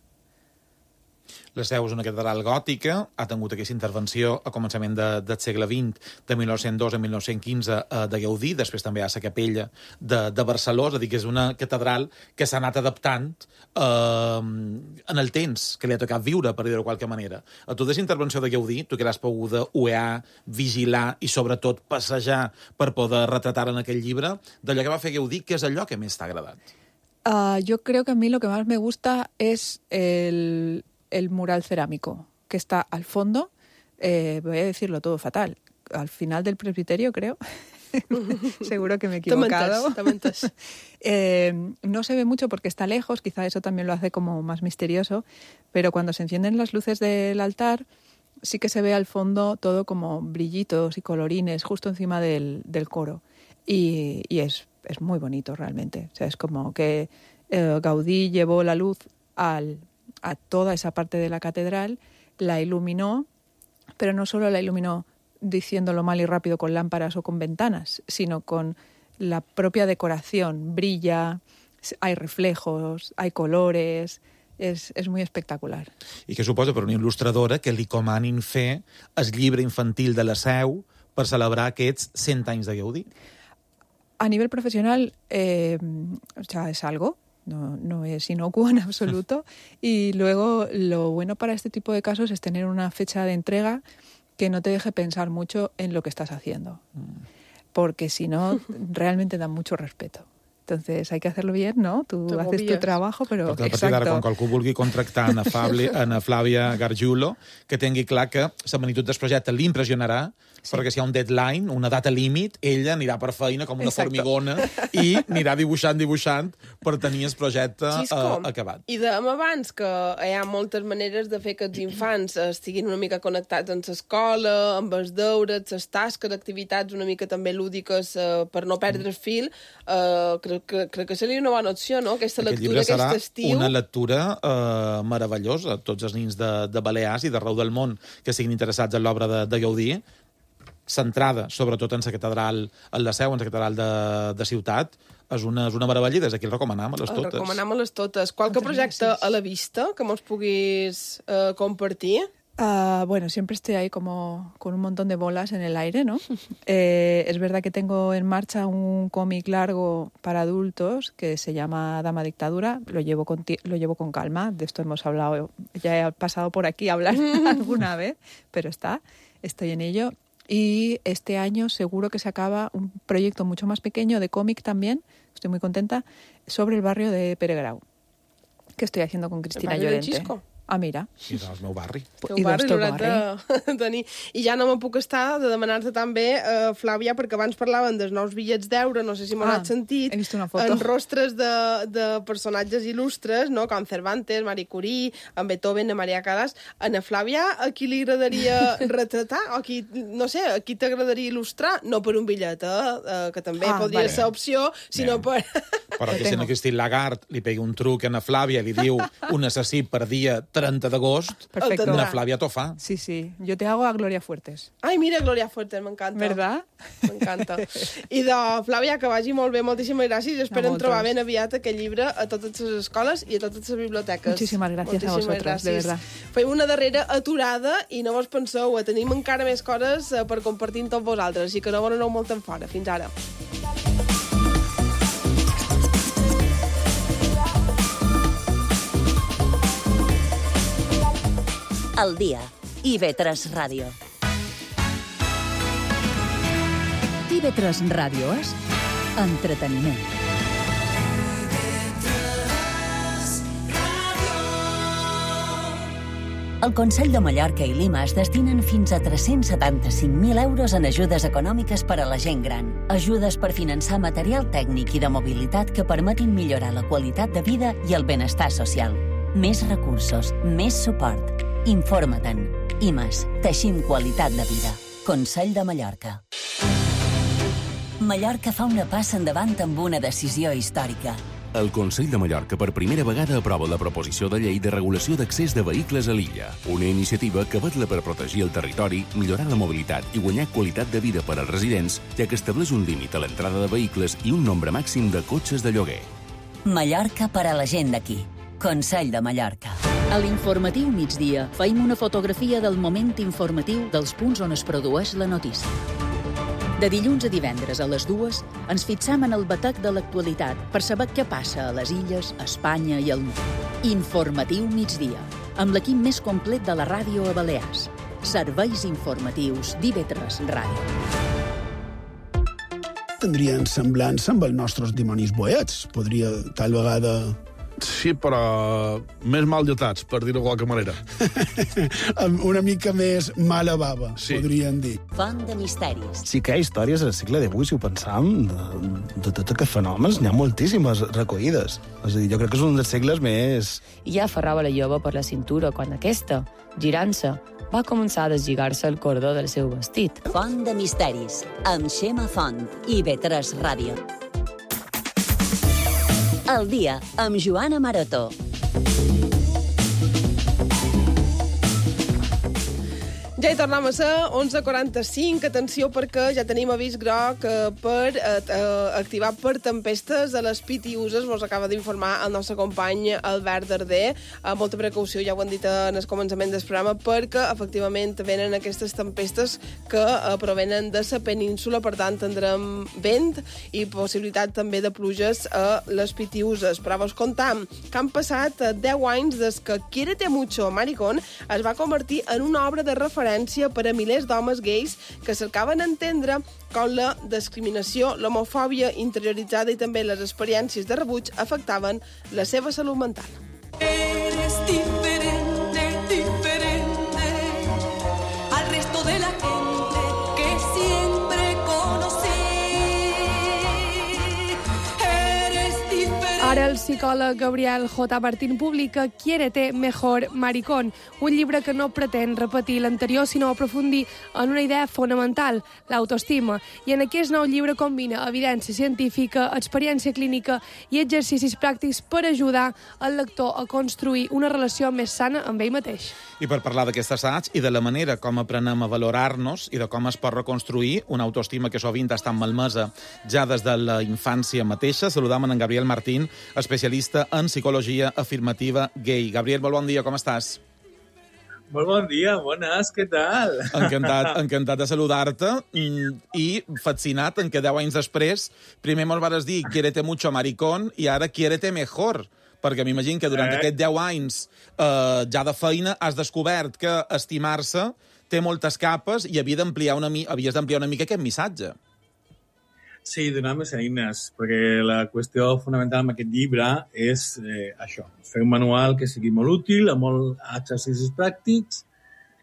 La Seu és una catedral gòtica, ha tingut aquesta intervenció a començament de, del segle vint, de mil nou-cents dos a mil nou-cents quinze, eh, de Gaudí, després també hi ha la capella de, de Barcelona, és a dir, que és una catedral que s'ha anat adaptant eh, en el temps, que li ha tocat viure, per dir-ho de qualque manera. A tota aquesta intervenció de Gaudí, tu que l'has pogut uear, vigilar i sobretot passejar per poder retratar en aquell llibre, d'allò que va fer Gaudí, què és allò que més t'ha agradat? Uh, yo creo que a mí lo que más me gusta es el... el mural cerámico que está al fondo, eh, voy a decirlo todo fatal, al final del presbiterio, creo. Seguro que me he equivocado. Te mentes, te mentes. eh, no se ve mucho porque está lejos, quizá eso también lo hace como más misterioso, pero cuando se encienden las luces del altar, sí que se ve al fondo todo como brillitos y colorines justo encima del, del coro. Y, y es, es muy bonito realmente. O sea, es como que eh, Gaudí llevó la luz al... a toda esa parte de la catedral, la iluminó, pero no solo la iluminó diciéndolo mal y rápido con lámparas o con ventanas, sino con la propia decoración. Brilla, hay reflejos, hay colores, és, és muy espectacular. I què suposa per una il·lustradora que li comanin fer el llibre infantil de la Seu per celebrar aquests cent anys de Gaudí? A nivel profesional, eh, o sea, es algo. No, no es inocuo en absoluto. Y luego lo bueno para este tipo de casos es tener una fecha de entrega que no te deje pensar mucho en lo que estás haciendo. Porque si no, realmente da mucho respeto. Entonces hay que hacerlo bien, ¿no? Tú Te haces tu trabajo, però... Perquè a partir d'ara, quan qualcú vulgui contractar a Fabli, a Flàvia Gargiulo, que tingui clar que la magnitud del projecte l'impressionarà, sí. Perquè si hi ha un deadline, una data límit, ella anirà per feina com una Exacto. formigona i anirà dibuixant, dibuixant per tenir el projecte uh, acabat. I dèiem abans que hi ha moltes maneres de fer que els infants estiguin una mica connectats amb l'escola, amb els deures, les tasques, activitats una mica també lúdiques uh, per no perdre el fil. Uh, crec, que, crec que seria una bona opció, no? Aquesta Aquest lectura, aquest estiu. Una lectura uh, meravellosa. Tots els nins de, de Balears i d'arreu del món que siguin interessats en l'obra de, de Gaudí, centrada sobretot en la catedral, en la Seu, en la catedral de, de Ciutat, és una, és una meravella i des d'aquí el recomanem a les totes. El recomanem a les totes. Qualque projecte a la vista que mos puguis uh, compartir? Uh, bueno, siempre estoy ahí como con un montón de bolas en el aire, ¿no? eh, es verdad que tengo en marcha un cómic largo para adultos que se llama Dama Dictadura. Lo llevo con, lo llevo con calma. De esto hemos hablado, ya he pasado por aquí a hablar alguna vez, pero está, estoy en ello. Y este año seguro que se acaba un proyecto mucho más pequeño de cómic también, estoy muy contenta, sobre el barrio de Peregrau, que estoy haciendo con Cristina Llorente. Ah, mira. I del meu barri. Teu barri l'hauran de tenir. I ja no me puc estar de demanar-te també, eh, Flàvia, perquè abans parlaven dels nous bitllets d'euro, no sé si m'ho ah, has sentit, he vist una foto. en rostres de, de personatges il·lustres, no? Com Cervantes, Marie Curie, en Beethoven, en Maria Callas. A na Flàvia, a qui li agradaria retratar? O qui, no sé, a qui t'agradaria il·lustrar? No per un bitllet, eh? que també ah, podria vale. ser opció, sinó Bien. per... Però que si no Christine Lagarde li pegui un truc a na Flàvia i li diu un assassí per dia trenta d'agost, Perfecto. na Flàvia t'ho fa. Sí, sí. Yo te hago a Gloria Fuertes. Ai, mira, Gloria Fuertes, m'encanta. ¿Verdad? M'encanta. I de Flàvia, que vagi molt bé, moltíssimes gràcies, i esperem moltes. trobar ben aviat aquest llibre a totes les escoles i a totes les biblioteques. Muchísimas gracias Moltíssimes a vosotros, gràcies. de verdad. Fem una darrera aturada i no vos penseu, eh, tenim encara més coses eh, per compartir amb tots vosaltres, així que no vos aneu molt en fora. Fins ara. Al dia. I ve tres Ràdio. I ve tres Ràdio és entreteniment. El Consell de Mallorca i Lima es destinen fins a tres-cents setanta-cinc mil euros en ajudes econòmiques per a la gent gran. Ajudes per finançar material tècnic i de mobilitat que permetin millorar la qualitat de vida i el benestar social. Més recursos, més suport. Informa-te'n. I més, teixim qualitat de vida. Consell de Mallorca. Mallorca fa una passa endavant amb una decisió històrica. El Consell de Mallorca per primera vegada aprova la proposició de llei de regulació d'accés de vehicles a l'illa, una iniciativa que vetla per protegir el territori, millorar la mobilitat i guanyar qualitat de vida per als residents, ja que estableix un límit a l'entrada de vehicles i un nombre màxim de cotxes de lloguer. Mallorca per a la gent d'aquí. Consell de Mallorca. A l'informatiu migdia feim una fotografia del moment informatiu dels punts on es produeix la notícia. De dilluns a divendres a les dues ens fixam en el batec de l'actualitat per saber què passa a les illes, a Espanya i al món. Informatiu migdia, amb l'equip més complet de la ràdio a Balears. Serveis informatius d'I V tres Ràdio. Tindrien semblança amb els nostres dimonis boets. Podria, tal vegada... Sí, però més mal dotats, per dir-ho de qualque manera. Una mica més mala bava, sí. Podríem dir. Font de misteris. Sí que hi ha històries al segle divuit, si ho pensam, de, de tots aquests fenòmens, n'hi ha moltíssimes recollides. És a dir, jo crec que és un dels segles més... I ja aferrava la jove per la cintura quan aquesta, girant-se, va començar a deslligar-se el cordó del seu vestit. Font de misteris, amb Xema Font, I V tres Ràdio. El dia, amb Joana Maroto. Ja hi tornem a ser, onze quaranta-cinc. Atenció, perquè ja tenim avís groc eh, per eh, activar per tempestes a les Pitiuses. Vos acaba d'informar el nostre company Albert Darder. Eh, molta precaució, ja ho han dit en el començament del programa, perquè efectivament venen aquestes tempestes que eh, provenen de la península. Per tant, tindrem vent i possibilitat també de pluges a les Pitiuses. Però vos contam que han passat deu anys des que Quiérete mucho, Maricón es va convertir en una obra de referència per a milers d'homes gais que cercaven entendre com la discriminació, l'homofòbia interioritzada i també les experiències de rebuig afectaven la seva salut mental. Eres diferente, diferente al resto de la gente que siempre conocí. Eres diferente. Ara el psicòleg Gabriel J. Martín publica Quiérete mejor, Maricón, un llibre que no pretén repetir l'anterior, sinó aprofundir en una idea fonamental, l'autoestima. I en aquest nou llibre combina evidència científica, experiència clínica i exercicis pràctics per ajudar el lector a construir una relació més sana amb ell mateix. I per parlar d'aquest assaig i de la manera com aprenem a valorar-nos i de com es pot reconstruir una autoestima que sovint està malmesa ja des de la infància mateixa, saludam en Gabriel Martín, especialista en psicologia afirmativa gay. Gabriel, molt bon dia, com estàs? Molt bon dia, bones, què tal? Encantat, encantat de saludar-te i fascinat en que deu anys després primer me'l vares dir Quiérete mucho, Maricón, i ara Quiérete mejor, perquè m'imagino que durant eh? aquests deu anys eh, ja de feina has descobert que estimar-se té moltes capes i havia d'ampliar una mi- havies d'ampliar una mica aquest missatge. Sí, donar més eines, perquè la qüestió fonamental amb aquest llibre és eh, això, fer un manual que sigui molt útil, amb molts exercicis pràctics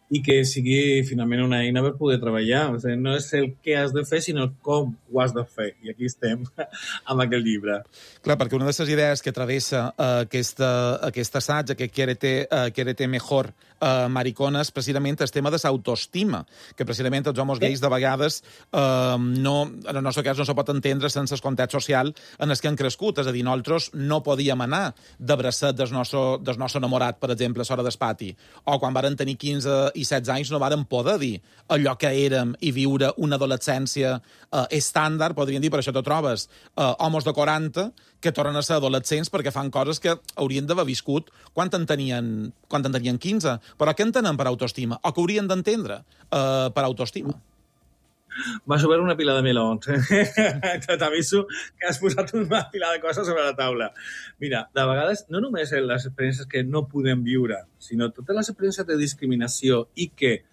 i que sigui finalment una eina per poder treballar. O sigui, no és el què has de fer, sinó com ho has de fer. I aquí estem amb aquest llibre. Clar, perquè una de les idees que travessa uh, aquesta, aquest assaig, aquest quiérete, uh, quiérete mejor, uh, maricones, precisament el tema de l'autoestima, que precisament els homes gais de vegades uh, no, en el nostre cas no se pot entendre sense el context social en el que han crescut. És a dir, nosaltres no podíem anar de bracet del nostre, del nostre enamorat, per exemple, a l'hora del pati. O quan varen tenir quinze i setze anys no varen poder dir allò que érem i viure una adolescència eh, estàndard, podríem dir, per això te trobes eh, homes de quaranta que tornen a ser adolescents perquè fan coses que haurien d'haver viscut quan en tenien, quan en tenien quinze. Però què entenen per autoestima? O que haurien d'entendre eh, per autoestima? Vas a veure una pila de melons. T'aviso que has posat una pila de coses sobre la taula. Mira, de vegades, no només les experiències que no podem viure, sinó totes les experiències de discriminació i que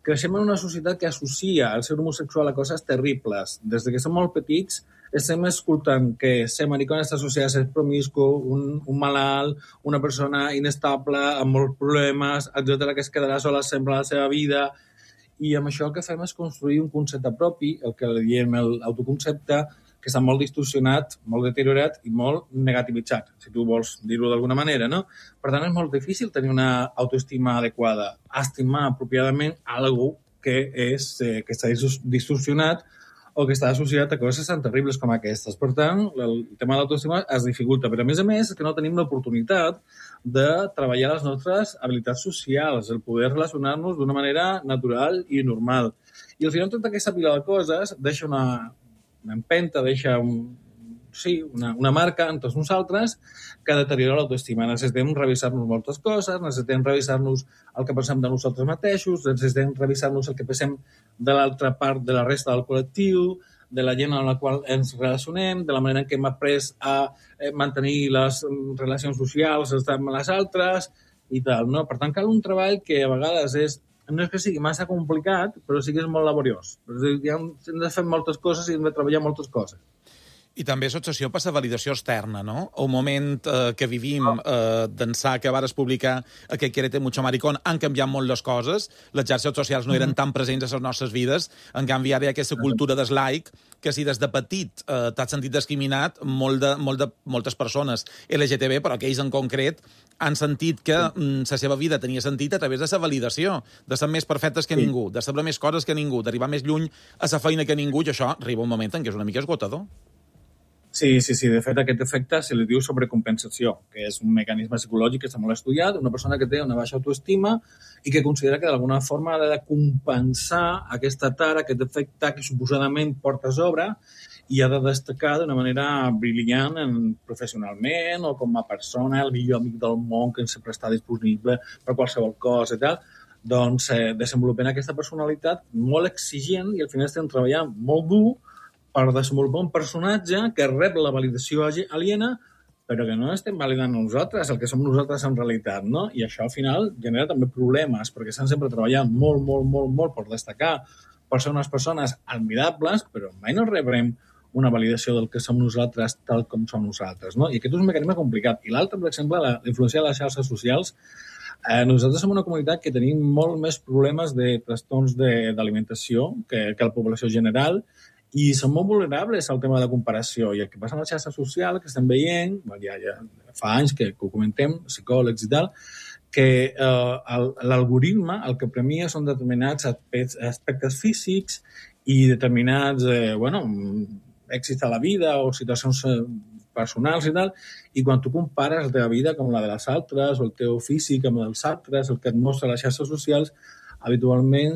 creixem en una societat que associa el ser homosexual a coses terribles. Des que som molt petits estem escoltant que ser maricón està associat a ser promiscu, un, un malalt, una persona inestable, amb molts problemes, etcètera, que es quedarà sola sempre a la seva vida. I amb això el que fem és construir un concepte propi, el que diem l'autoconcepte, que està molt distorsionat, molt deteriorat i molt negativitzat, si tu vols dir-ho d'alguna manera, no? Per tant, és molt difícil tenir una autoestima adequada, estimar apropiadament algú que, és, eh, que està distorsionat o que està associat a coses tan terribles com aquestes. Per tant, el tema de l'autoestima es dificulta, però a més a més és que no tenim l'oportunitat de treballar les nostres habilitats socials, el poder relacionar-nos d'una manera natural i normal. I al final tota aquesta pila de coses deixa una, una empenta, deixa un, sí, una, una marca en tots nosaltres que deteriora l'autoestima. Necessitem revisar-nos moltes coses, necessitem revisar-nos el que pensem de nosaltres mateixos, necessitem revisar-nos el que pensem de l'altra part de la resta del col·lectiu, de la gent amb la qual ens relacionem, de la manera en què hem après a mantenir les relacions socials amb les altres i tal, no? Per tant, cal un treball que a vegades és, no és que sigui massa complicat, però sí que és molt laboriós. Hem de fer moltes coses i hem de treballar moltes coses. I també és obsessió per la validació externa, no? Un moment eh, que vivim eh, d'ençà que vares publicar aquest Quiérete mucho maricón han canviat molt les coses, les xarxes socials no eren tan presents a les nostres vides, en canvi ara hi ha aquesta cultura des like que si des de petit eh, t'has sentit discriminat, molt de, molt de, moltes persones L G T B, però aquells en concret, han sentit que mm, la seva vida tenia sentit a través de la validació, de ser més perfectes que ningú, de saber més coses que ningú, d'arribar més lluny a la feina que ningú, i això arriba un moment en què és una mica esgotador. Sí, sí, sí. De fet, aquest efecte se li diu sobrecompensació, que és un mecanisme psicològic que està molt estudiat, una persona que té una baixa autoestima i que considera que d'alguna forma ha de compensar aquesta tara, aquest efecte que suposadament porta a sobre i ha de destacar d'una manera brillant en, professionalment o com a persona, el millor amic del món que sempre està disponible per qualsevol cosa i tal. Doncs eh, desenvolupem aquesta personalitat molt exigent i al final estem treballant molt dur per desenvolupar un personatge que rep la validació aliena, però que no estem validant nosaltres, el que som nosaltres en realitat, no? I això al final genera també problemes, perquè estan sempre treballant molt, molt, molt, molt per destacar, per ser unes persones admirables, però mai no rebrem una validació del que som nosaltres tal com som nosaltres, no? I aquest és un mecanisme complicat. I l'altre, per exemple, la influència de les xarxes socials. Eh, nosaltres som una comunitat que tenim molt més problemes de trastorns d'alimentació que, que la població general, i són molt vulnerables al tema de la comparació. I el que passa en la xarxa social, que estem veient, ja, ja fa anys que, que ho comentem, psicòlegs i tal, que eh, l'algoritme el que premia són determinats aspectes físics i determinats eh, bueno, èxits a la vida o situacions personals i tal, i quan tu compares la teva vida com la de les altres, o el teu físic amb els altres, el que et mostra les xarxes socials, habitualment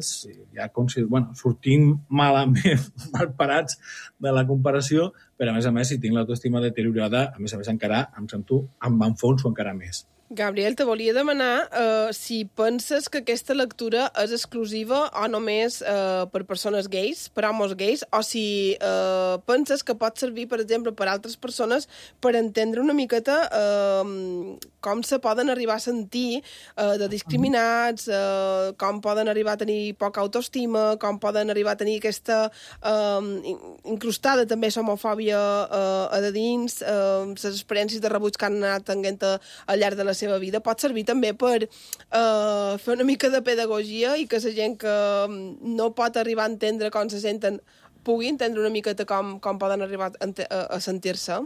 ja bueno, sortim malament, mal parats de la comparació, però a més a més, si tinc l'autoestima deteriorada, a més a més encara em sento amb enfonso encara més. Gabriel, te volia demanar uh, si penses que aquesta lectura és exclusiva o només uh, per persones gais, per homes gais, o si uh, penses que pot servir, per exemple, per altres persones per entendre una miqueta uh, com se poden arribar a sentir uh, de discriminats, uh, com poden arribar a tenir poca autoestima, com poden arribar a tenir aquesta uh, incrustada també l'homofòbia uh, a de dins, uh, les experiències de rebuig que han anat tenint al llarg de la seva vida. Pot servir també per uh, fer una mica de pedagogia i que la gent que no pot arribar a entendre com se senten pugui entendre una miqueta com, com poden arribar a, a sentir-se.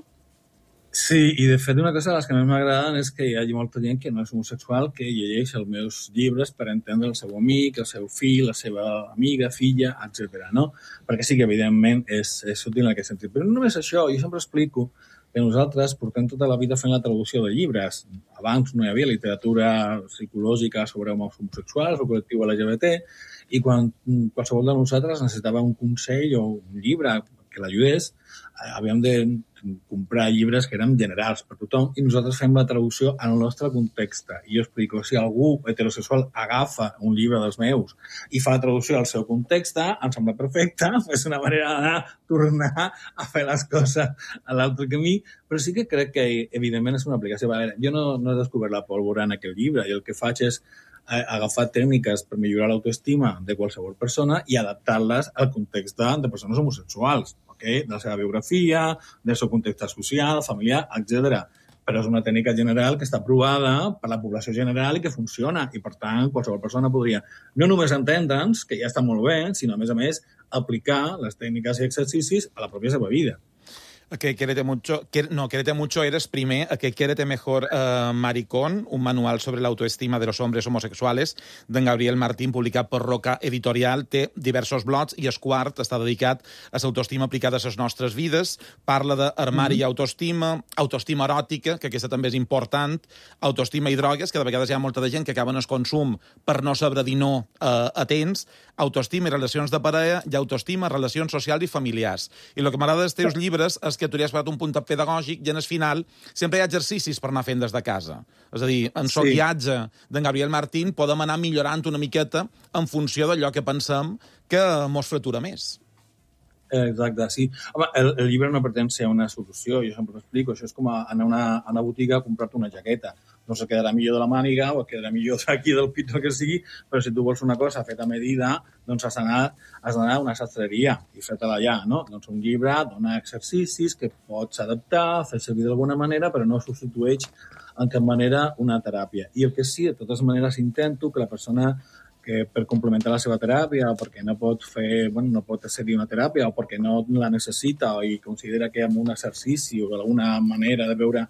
Sí, i de fet una cosa de les que més m'agraden és que hi hagi molta gent que no és homosexual que llegeix els meus llibres per entendre el seu amic, el seu fill, la seva amiga, filla, etcètera. No? Perquè sí que evidentment és, és útil en aquest sentit. Però no només això, jo sempre explico que nosaltres portem tota la vida fent la traducció de llibres. Abans no hi havia literatura psicològica sobre homes homosexuals o col·lectiu L G B T i quan qualsevol de nosaltres necessitava un consell o un llibre que l'ajudés, havíem de comprar llibres que eren generals per tothom i nosaltres fem la traducció en el nostre context. I jo explico, si algú heterosexual agafa un llibre dels meus i fa la traducció al seu context, em sembla perfecte, és una manera d'anar, tornar a fer les coses a l'altre camí, però sí que crec que, evidentment, és una aplicació. Jo no, no he descobert la pólvora en aquest llibre, i el que faig és agafar tècniques per millorar l'autoestima de qualsevol persona i adaptar-les al context de, de persones homosexuals, okay? De la seva biografia, del seu context social, familiar, etcètera. Però és una tècnica general que està aprovada per la població general i que funciona. I, per tant, qualsevol persona podria no només entendre'ns, que ja està molt bé, sinó, a més a més, aplicar les tècniques i exercicis a la pròpia seva vida. Que Quiérete mucho, que, no, Quiérete mucho eres primer, que Quiérete mejor uh, maricón, un manual sobre la autoestima de los hombres homosexuales, d'en Gabriel Martín, publicat per Roca Editorial, té diversos blogs i el quart està dedicat a l'autoestima aplicada a les nostres vides, parla d'armari mm-hmm. i autoestima, autoestima eròtica, que aquesta també és important, autoestima i drogues, que de vegades hi ha molta de gent que acaben el consum per no saber dir no uh, a temps, autoestima i relacions de parella, i autoestima, relacions socials i familiars. I el que m'agrada dels teus llibres és que tu li has posat un punt pedagògic i en el final sempre hi ha exercicis per anar fent des de casa. És a dir, en el sí. guiatge d'en Gabriel Martín podem anar millorant una miqueta en funció d'allò que pensem que mos fratura més. Exacte, sí. Home, el, el llibre no pretén ser una solució, jo sempre l'explico. Això és com anar a una, a una botiga a comprar-te una jaqueta. No se quedarà millor de la màniga o quedarà millor d'aquí del pit o que sigui, però si tu vols una cosa feta a medida, doncs has d'anar a una sastreria i fer-te-la allà, no? Doncs un llibre dona exercicis que pots adaptar, fer servir d'alguna manera, però no substitueix en cap manera una teràpia. I el que sí, de totes maneres, intento que la persona que per complementar la seva teràpia o perquè no pot fer, bueno, no pot accedir a una teràpia o perquè no la necessita i considera que amb un exercici o alguna manera de veure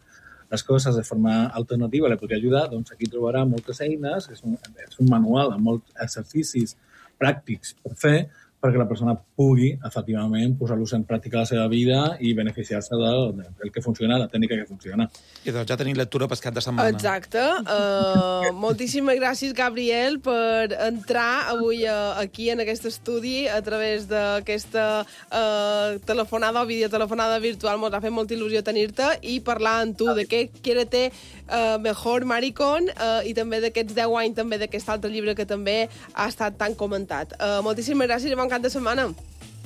les coses de forma alternativa li podria ajudar, doncs aquí trobarà moltes eines, és un, és un manual amb molts exercicis pràctics per fer, perquè la persona pugui, efectivament, posar-los en pràctica a la seva vida i beneficiar-se del, del que funciona, la tècnica que funciona. I doncs ja tenim lectura per cap de setmana. Exacte. Uh, moltíssimes gràcies, Gabriel, per entrar avui uh, aquí en aquest estudi a través d'aquesta uh, telefonada o videotelefonada virtual. Ens ha fet molta il·lusió tenir-te i parlar amb tu de què Quiérete uh, mejor maricón uh, i també d'aquests deu anys també d'aquest altre llibre que també ha estat tan comentat. Uh, moltíssimes gràcies i bon cap de setmana.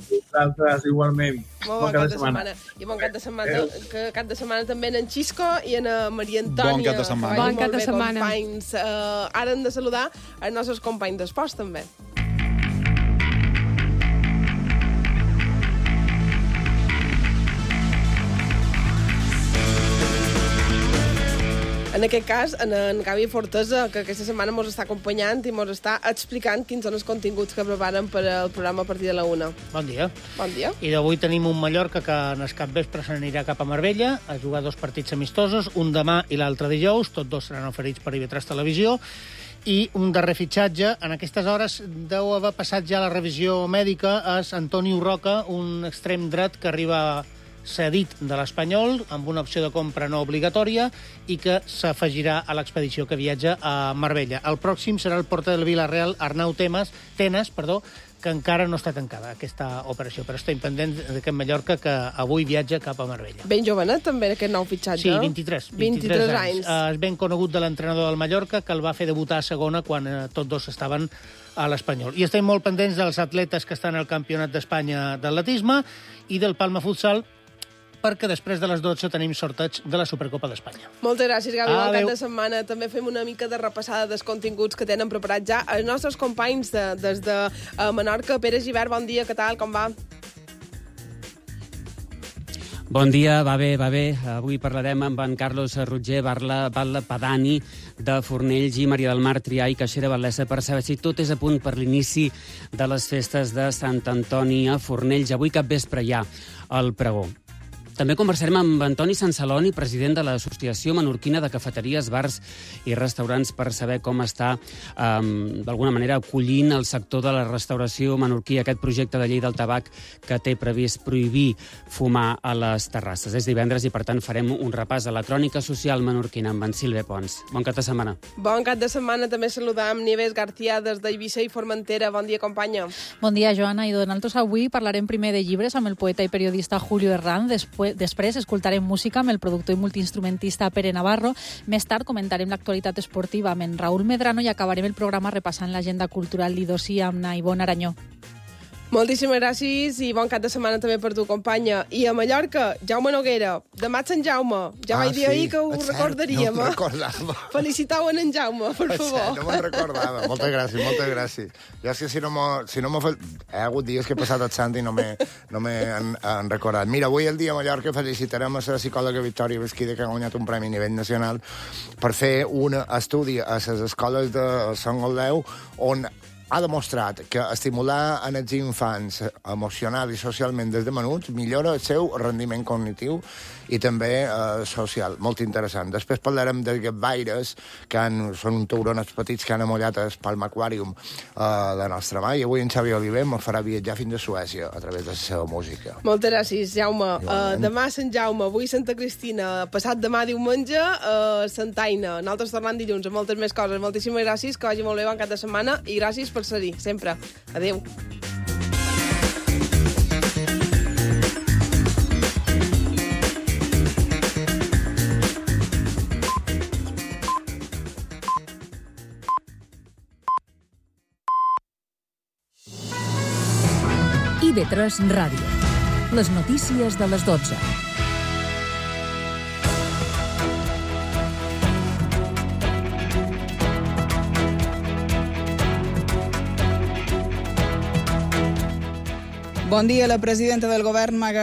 Vosaltres, igualment. Molt bon cap de setmana. I bon cap de setmana, que cap de setmana també en Xisco i en Maria Antònia. Bon cap de setmana. Bon cap de setmana. Companys. Uh, ara hem de saludar els nostres companys d'esports, també. En aquest cas, en, en Gavi Fortesa, que aquesta setmana ens està acompanyant i ens està explicant quins són els continguts que preparen per al programa a partir de la una. Bon dia. Bon dia. I d'avui tenim un Mallorca que en el capvespre se n'anirà cap a Marbella a jugar dos partits amistosos, un demà i l'altre dijous, tots dos seran oferits per I V tres Televisió, i un darrer fitxatge. En aquestes hores deu haver passat ja la revisió mèdica, és Antonio Roca, un extrem dret que arriba cedit de l'Espanyol, amb una opció de compra no obligatòria, i que s'afegirà a l'expedició que viatja a Marbella. El pròxim serà el porter del Villarreal, Arnau Temes, Tenes, perdó, que encara no està tancada, aquesta operació, però estem pendents d'aquest Mallorca que avui viatja cap a Marbella. Ben jovenet, també, aquest nou fitxatge. Sí, vint-i-tres. vint-i-tres anys. Uh, és ben conegut de l'entrenador del Mallorca, que el va fer debutar a segona quan uh, tots dos estaven a l'Espanyol. I estem molt pendents dels atletes que estan al Campionat d'Espanya d'atletisme i del Palma Futsal, perquè després de les dotze tenim sorteig de la Supercopa d'Espanya. Moltes gràcies, Gavi. Bon Adéu. cap de setmana. També fem una mica de repassada dels continguts que tenen preparats ja els nostres companys de, des de uh, Menorca. Pere Gibert, bon dia, què tal, com va? Bon dia, va bé, va bé. Avui parlarem amb en Carlos Rutger, Batlle Padani, de Fornells, i Maria del Mar Trià i Caixera Val·lesa, per saber si tot és a punt per l'inici de les festes de Sant Antoni a Fornells. Avui cap vespre hi ha el pregó. També conversarem amb Antoni Sansaloni, president de l'Associació Menorquina de Cafeteries, Bars i Restaurants, per saber com està, um, d'alguna manera, acollint el sector de la restauració menorquí aquest projecte de llei del tabac que té previst prohibir fumar a les terrasses. És divendres i, per tant, farem un repàs a la crònica social menorquina amb en Sílvia Pons. Bon cap de setmana. Bon cap de setmana. També saludam Nieves García des d'Eivissa i Formentera. Bon dia, companya. Bon dia, Joana. I nosaltres avui parlarem primer de llibres amb el poeta i periodista Julio Herrán. Després Després escoltarem música amb el productor i multiinstrumentista Pere Navarro. Més tard comentarem l'actualitat esportiva amb en Raúl Medrano i acabarem el programa repassant l'agenda cultural d'Idosí amb na Ivonne Aranyó. Moltíssimes gràcies i bon cap de setmana també per tu, companya. I a Mallorca, Jaume Noguera. Demà Sant Jaume. Ja ah, vaig dir sí, ahir que ho recordaríem. No recordava. Felicitau en en Jaume, per favor. No me'n recordava. Moltes gràcies, moltes gràcies. Jo és que si no m'ho... Si no fe... He hagut dies que he passat el sant i no m'he no han, han recordat. Mira, avui el dia a Mallorca felicitarem a la psicòloga Victòria Besquida, que ha guanyat un premi a nivell nacional per fer un estudi a les escoles de Sant Goldeu on ha demostrat que estimular en els infants emocional i socialment des de menuts millora el seu rendiment cognitiu i també eh, social. Molt interessant. Després parlarem de gaires, que han, són un tauronets petits que han amollat el Palma Aquarium eh, de nostra mà, i avui en Xavi Oliver me farà viatjar fins a Suècia a través de la seva música. Moltes gràcies, Jaume. Uh, demà Sant Jaume, avui Santa Cristina, passat demà diumenge, uh, Santa Aina. Nosaltres tornem dilluns amb moltes més coses. Moltíssimes gràcies, que vagi molt bé, bon cap de setmana, i gràcies per ser-hi, sempre. Adéu. I V tres Ràdio. Les notícies de les dotze. Bon dia. La presidenta del govern, Maga